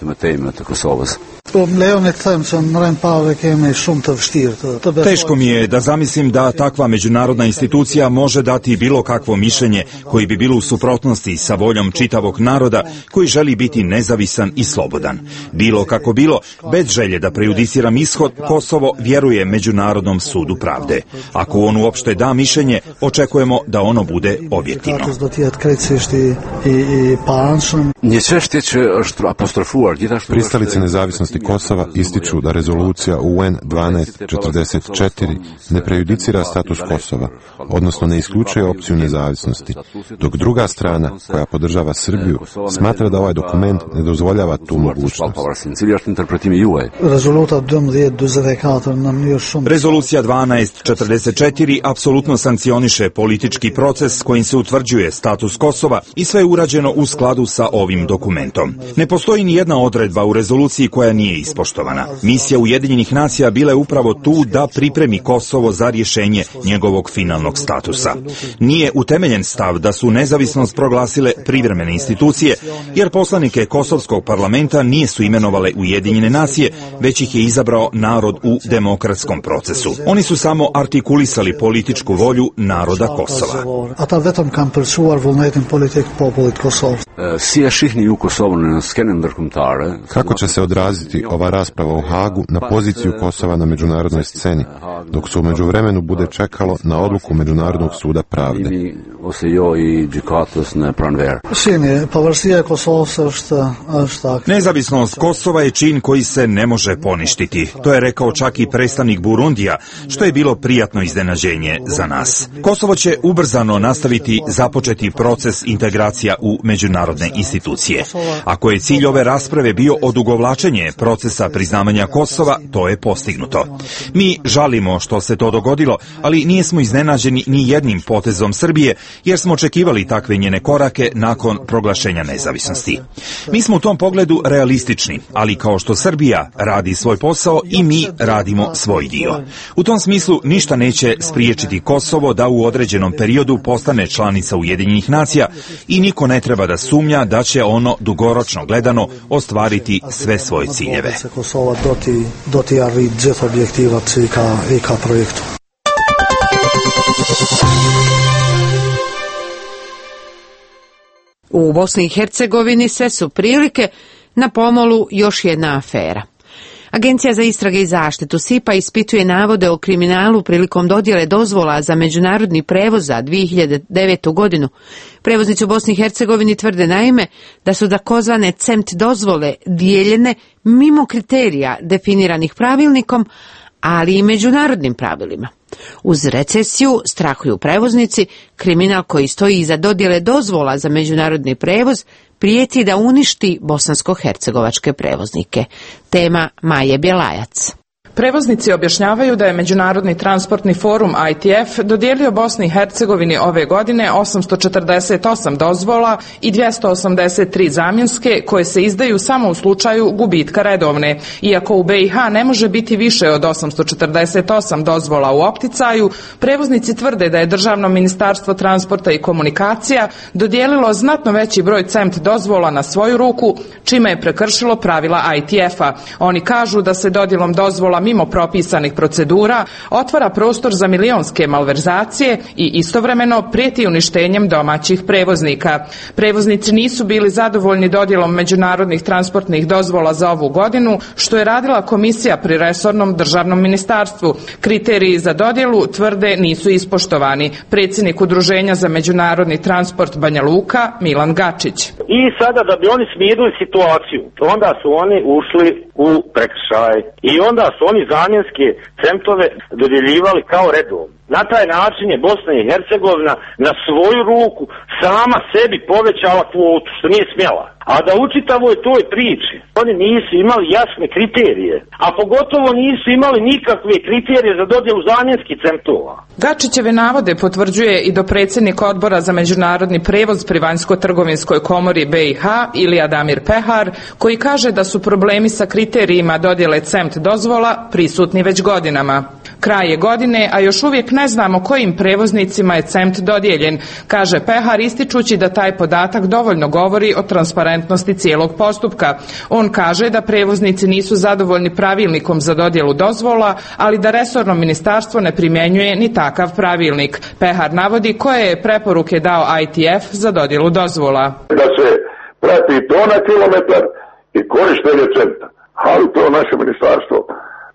Teško mi je da zamislim da takva međunarodna institucija može dati bilo kakvo mišljenje koji bi bilo u suprotnosti sa voljom čitavog naroda koji želi biti nezavisan i slobodan. Bilo kako bilo, bez želje da prejudiciram ishod, Kosovo vjeruje Međunarodnom sudu pravde. Ako on uopšte da mišljenje, očekujemo da ono bude objektivno. Pristalice nezavisnosti Kosova ističu da rezolucija UN 1244 ne prejudicira status Kosova, odnosno ne isključuje opciju nezavisnosti, dok druga strana, koja podržava Srbiju, smatra da ovaj dokument ne dozvoljava tu mogućnost. Rezolucija 1244 apsolutno sankcioniše politički proces kojim se utvrđuje status Kosova i sve je urađeno u skladu sa ovim dokumentom. Ne postoji ni jedna odredba u rezoluciji koja nije ispoštovana. Misija Ujedinjenih nacija bila je upravo tu da pripremi Kosovo za rješenje njegovog njegovog finalnog statusa. Nije utemeljen stav da su nezavisnost proglasile privremene institucije, jer poslanike Kosovskog parlamenta nisu imenovale Ujedinjene nacije, već ih je izabrao narod u demokratskom procesu. Oni su samo artikulisali političku volju naroda Kosova. Kako će se odraziti ova rasprava u Hagu na poziciju Kosova na međunarodnoj sceni, dok se u međuvremenu bude čekalo na odluku Međunarodnog suda pravde? Nezavisnost Kosova je čin koji se ne može poništiti. To je rekao čak i predstavnik Burundija, što je bilo prijatno iznenađenje za nas. Kosovo će ubrzano nastaviti započeti proces integracija u međunarodne institucije. Ako je cilj ove rasprave bio odugovlačenje procesa priznavanja Kosova, to je postignuto. Mi žalimo što se to dogodilo, ali nismo iznenađeni ni jednim potezom Srbije, jer smo očekivali takve njene korake nakon proglašenja nezavisnosti. Mi smo u tom pogledu realistični, ali kao što Srbija radi svoj posao i mi radimo svoj dio. U tom smislu ništa neće spriječiti Kosovo da u određenom periodu postane članica Ujedinjenih nacija i niko ne treba da sumnja da će ono dugoročno gledano ostvariti sve svoje ciljeve. U Bosni i Hercegovini sve su prilike, na pomolu još jedna afera. Agencija za istrage i zaštitu SIPA ispituje navode o kriminalu prilikom dodjele dozvola za međunarodni prevoz za 2009. godinu. Prevoznici u Bosni i Hercegovini tvrde naime da su takozvane CEMT dozvole dijeljene mimo kriterija definiranih pravilnikom, ali i međunarodnim pravilima. Uz recesiju strahuju prevoznici, kriminal koji stoji iza dodjele dozvola za međunarodni prevoz prijeti da uništi bosansko-hercegovačke prevoznike. Tema Maje Bjelajac. Prevoznici objašnjavaju da je Međunarodni transportni forum ITF dodijelio Bosni i Hercegovini ove godine 848 dozvola i 283 zamjenske koje se izdaju samo u slučaju gubitka redovne. Iako u BiH ne može biti više od 848 dozvola u opticaju, prevoznici tvrde da je Državno ministarstvo transporta i komunikacija dodijelilo znatno veći broj CEMT dozvola na svoju ruku, čime je prekršilo pravila ITF-a. Oni kažu da se dodjelom dozvola mimo propisanih procedura otvara prostor za milionske malverzacije i istovremeno prijeti uništenjem domaćih prevoznika. Prevoznici nisu bili zadovoljni dodjelom međunarodnih transportnih dozvola za ovu godinu, što je radila komisija pri resornom državnom ministarstvu. Kriteriji za dodjelu, tvrde, nisu ispoštovani. Predsjednik Udruženja za međunarodni transport Banja Luka, Milan Gačić. I sada da bi oni smirili situaciju, onda su oni ušli u prekršaj i onda su oni zamjenske CEMT-ove dodjeljivali kao redovno. Na taj način je Bosna i Hercegovina na svoju ruku sama sebi povećala kvotu, što nije smjela. A da u čitavoj toj priči oni nisu imali jasne kriterije, a pogotovo nisu imali nikakve kriterije za dodjelu zamjenskih CEMT-ova. Gačićeve navode potvrđuje i dopredsjednik Odbora za međunarodni prevoz pri Vanjsko-trgovinskoj komori BiH Ilija Damir Pehar, koji kaže da su problemi sa kriterijima dodjele CEMT dozvola prisutni već godinama. Kraj je godine, a još uvijek ne znamo kojim prevoznicima je CEMT dodijeljen, kaže Pehar, ističući da taj podatak dovoljno govori o transparentnosti cijelog postupka. On kaže da prevoznici nisu zadovoljni pravilnikom za dodjelu dozvola, ali da resorno ministarstvo ne primjenjuje ni takav pravilnik. Pehar navodi koje je preporuke dao ITF za dodjelu dozvola. Da se prati to na kilometar i korištenje CEMT-a, ali to naše ministarstvo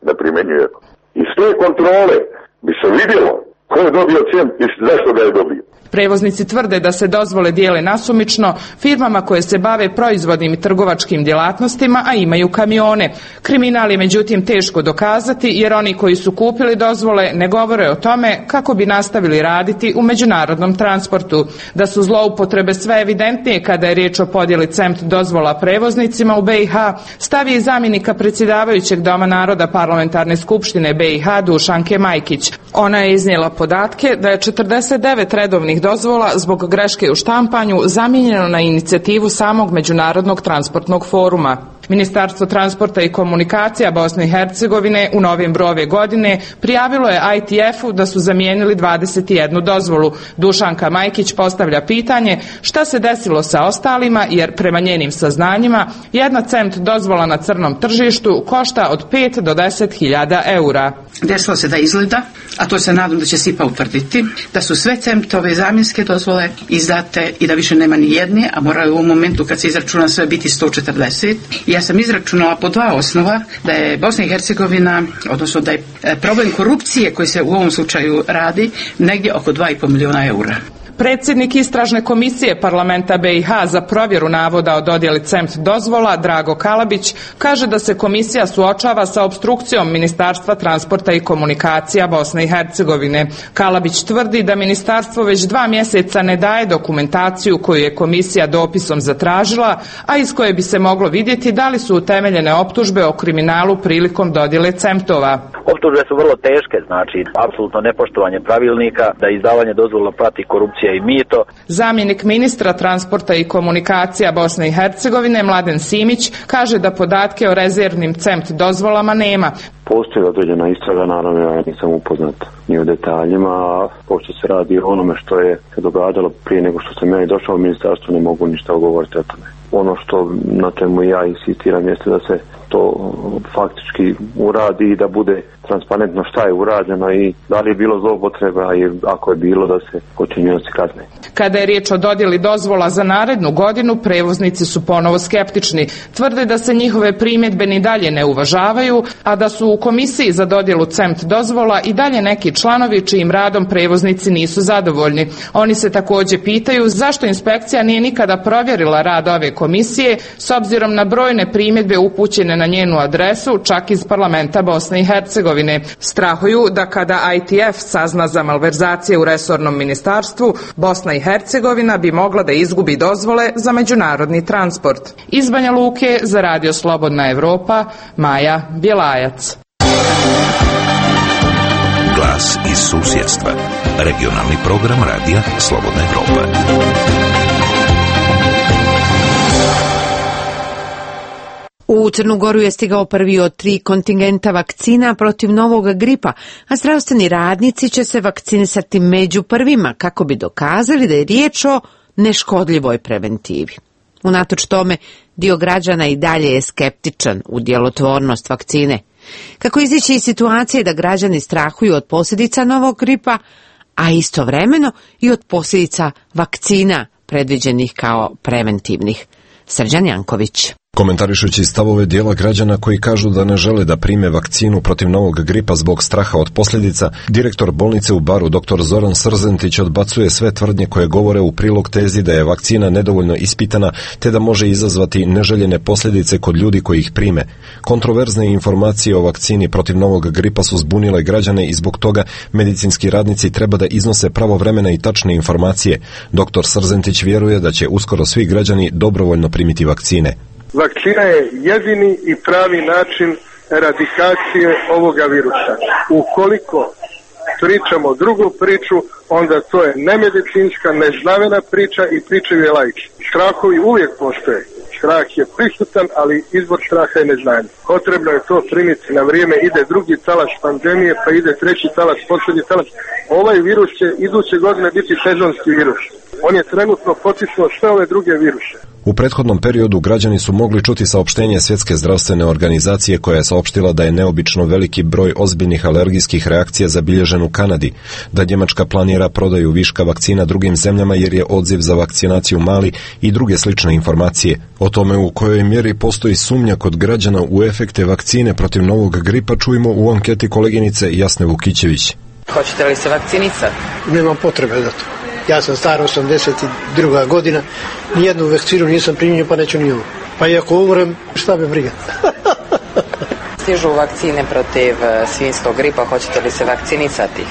ne primjenjuje. Iz te kontrole bi se vidjelo ko je dobio CEMT i zašto ga je dobio. Prevoznici tvrde da se dozvole dijele nasumično firmama koje se bave proizvodnim i trgovačkim djelatnostima, a imaju kamione. Kriminal je međutim teško dokazati, jer oni koji su kupili dozvole ne govore o tome kako bi nastavili raditi u međunarodnom transportu. Da su zloupotrebe sve evidentnije kada je riječ o podjeli CEMT dozvola prevoznicima u BiH, stavi i zamjenika predsjedavajućeg Doma naroda Parlamentarne skupštine BiH Dušanke Majkić. Ona je iznijela podatke da je 49 redovnih dozvola zbog greške u štampanju zamijenjeno na inicijativu samog Međunarodnog transportnog foruma. Ministarstvo transporta i komunikacija Bosne i Hercegovine u novembru ove godine prijavilo je ITF-u da su zamijenili 21 dozvolu. Dušanka Majkić postavlja pitanje šta se desilo sa ostalima, jer prema njenim saznanjima jedna CEMT dozvola na crnom tržištu košta od 5 do 10.000 eura. Desilo se da izgleda, a to se nadam da će SIPA utvrditi, da su sve CEMT-ove zamjenske dozvole izdate i da više nema ni jedne, a moraju u momentu kad se izračuna sve biti 140. I ja sam izračunala po dva osnova da je Bosna i Hercegovina, odnosno da je problem korupcije koji se u ovom slučaju radi negdje oko 2,5 miliona eura. Predsjednik istražne komisije parlamenta BiH za provjeru navoda o dodjeli CEMT dozvola, Drago Kalabić, kaže da se komisija suočava sa opstrukcijom Ministarstva transporta i komunikacija Bosne i Hercegovine. Kalabić tvrdi da ministarstvo već 2 mjeseca ne daje dokumentaciju koju je komisija dopisom zatražila, a iz koje bi se moglo vidjeti da li su utemeljene optužbe o kriminalu prilikom dodjele CEMT-ova. Optužbe su vrlo teške, znači apsolutno nepoštovanje pravilnika, da izdavanje dozvola prati korupcija i mito. Zamjenik ministra transporta i komunikacija Bosne i Hercegovine Mladen Simić kaže da podatke o rezervnim CEMT dozvolama nema. Postoji određena istraga, naravno ja nisam upoznat ni o detaljima, a pošto se radi o onome što je se događalo prije nego što sam ja i došao u ministarstvo, ne mogu ništa govoriti o tome. Ono što na čemu ja insistiram jeste da se to faktički uradi i da bude transparentno šta je urađeno i da li je bilo zloupotreba i ako je bilo da se počinioci kazne. Kada je riječ o dodjeli dozvola za narednu godinu, prevoznici su ponovo skeptični. Tvrde da se njihove primjedbe ni dalje ne uvažavaju, a da su u komisiji za dodjelu CEMT dozvola i dalje neki članovi čijim radom prevoznici nisu zadovoljni. Oni se također pitaju zašto inspekcija nije nikada provjerila rad ove komisije s obzirom na brojne primjedbe upućene na njenu adresu, čak iz parlamenta Bosne i Hercegovine. Strahuju da kada ITF sazna za malverzacije u resornom ministarstvu, Bosna i Hercegovina bi mogla da izgubi dozvole za međunarodni transport. Iz Banja Luke za Radio Slobodna Evropa, Maja Bjelajac. Glas iz susjedstva. Regionalni program Radija Slobodna Evropa. U Crnu Goru je stigao prvi od 3 kontingenta vakcina protiv novog gripa, a zdravstveni radnici će se vakcinisati među prvima kako bi dokazali da je riječ o neškodljivoj preventivi. Unatoč tome, dio građana i dalje je skeptičan u djelotvornost vakcine. Kako izići iz situacije da građani strahuju od posljedica novog gripa, a istovremeno i od posljedica vakcina predviđenih kao preventivnih. Srđan Janković. Komentarišući stavove dijela građana koji kažu da ne žele da prime vakcinu protiv novog gripa zbog straha od posljedica, direktor bolnice u Baru dr. Zoran Srzentić odbacuje sve tvrdnje koje govore u prilog tezi da je vakcina nedovoljno ispitana te da može izazvati neželjene posljedice kod ljudi koji ih prime. Kontroverzne informacije o vakcini protiv novog gripa su zbunile građane i zbog toga medicinski radnici treba da iznose pravovremene i tačne informacije. Dr. Srzentić vjeruje da će uskoro svi građani dobrovoljno primiti vakcine. Vakcina je jedini i pravi način eradikacije ovoga virusa. Ukoliko pričamo drugu priču, onda to je nemedicinska, neznavena priča i pričaju je laici. Strahovi uvijek postoje. Strah je prisutan, ali izvor straha je neznanje. Potrebno je to primiti na vrijeme, ide drugi talas pandemije, pa ide treći talas, posljednji talas. Ovaj virus će iduće godine biti sezonski virus. On je trenutno potisnuo sve ove druge viruse. U prethodnom periodu građani su mogli čuti saopštenje Svjetske zdravstvene organizacije koja je saopštila da je neobično veliki broj ozbiljnih alergijskih reakcija zabilježen u Kanadi, da Njemačka planira prodaju viška vakcina drugim zemljama jer je odziv za vakcinaciju mali i druge slične informacije. O tome u kojoj mjeri postoji sumnja kod građana u efekte vakcine protiv novog gripa čujemo u anketi koleginice Jasne Vukićević. Hoćete li se vakcinisati? Nemam potrebe za to. Ja sam star 82. godina, nijednu vakcinu nisam primio, pa neću ni ovu. Pa i ako umrem, šta me briga? Stižu vakcine protiv svinjskog gripa, hoćete li se vakcinisati?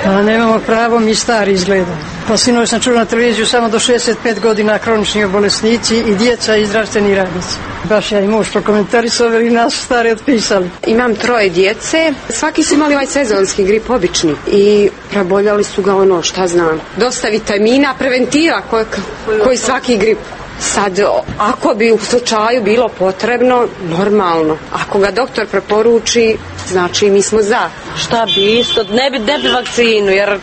A nemamo pravo, mi stari izgleda. Pa sinoć sam čuo na televiziju samo do 65 godina kronični bolesnici i djeca i zdravstveni radnici. Baš ja i muž prokomentarisali i nas stari otpisali. Imam 3 djece, svaki su imali ovaj sezonski grip obični i preboljali su ga šta znam. Dosta vitamina, preventiva koji svaki grip. Sad, ako bi u slučaju bilo potrebno, normalno. Ako ga doktor preporuči, znači mi smo za. Šta bi isto? Ne bi vakcinu, jer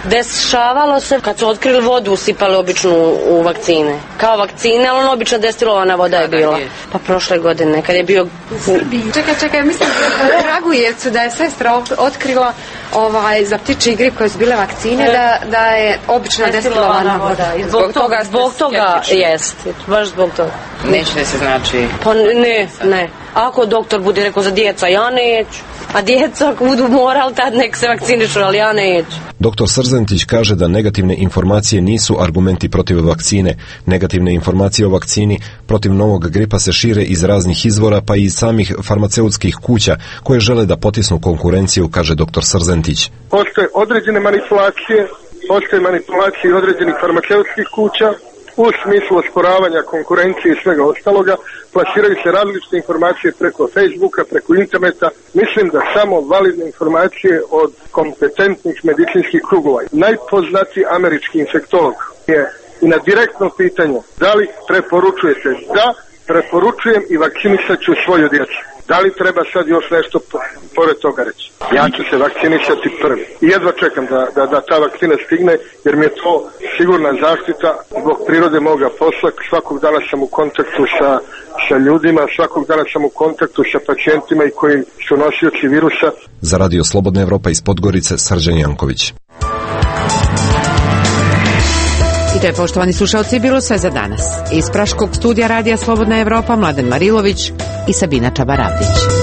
dešavalo se kad su otkrili vodu, usipali običnu u vakcine. Kao vakcine, ali ono obična destilovana voda je bila. Pa prošle godine, kad je bio... Čekaj, mislim u Kragujevcu da je sestra otkrila za ptičji grip koje su bile vakcine, da je obična destilovana voda. Zbog toga jest, baš zbog toga. Neće da se znači... Pa ne. Ako doktor bude rekao za djeca, ja neću. A djeca ako budu morali, tad nek se vakcinišu, ali ja neću. Dr. Srzentić kaže da negativne informacije nisu argumenti protiv vakcine. Negativne informacije o vakcini protiv novog gripa se šire iz raznih izvora, pa i iz samih farmaceutskih kuća koje žele da potisnu konkurenciju, kaže dr. Srzentić. Postoje određene manipulacije, određenih farmaceutskih kuća, u smislu osporavanja konkurencije i svega ostaloga, plasiraju se različite informacije preko Facebooka, preko interneta. Mislim da samo validne informacije od kompetentnih medicinskih krugova. Najpoznatiji američki infektolog je i na direktno pitanje da li preporučujete? Da, preporučujem i vakcinisat ću svoju djecu. Da li treba sad još nešto pored toga reći? Ja ću se vakcinisati prvi. I jedva čekam da ta vakcina stigne, jer mi je to sigurna zaštita zbog prirode moga posla. Svakog dana sam u kontaktu sa ljudima, svakog dana sam u kontaktu sa pacijentima i koji su nosioci virusa. Za Radio Slobodna Evropa iz Podgorice, Srđan Janković. I to je, poštovani slušalci, bilo sve za danas. Iz Praškog studija Radija Slobodna Evropa, Mladen Marilović i Sabina Čabaravdić.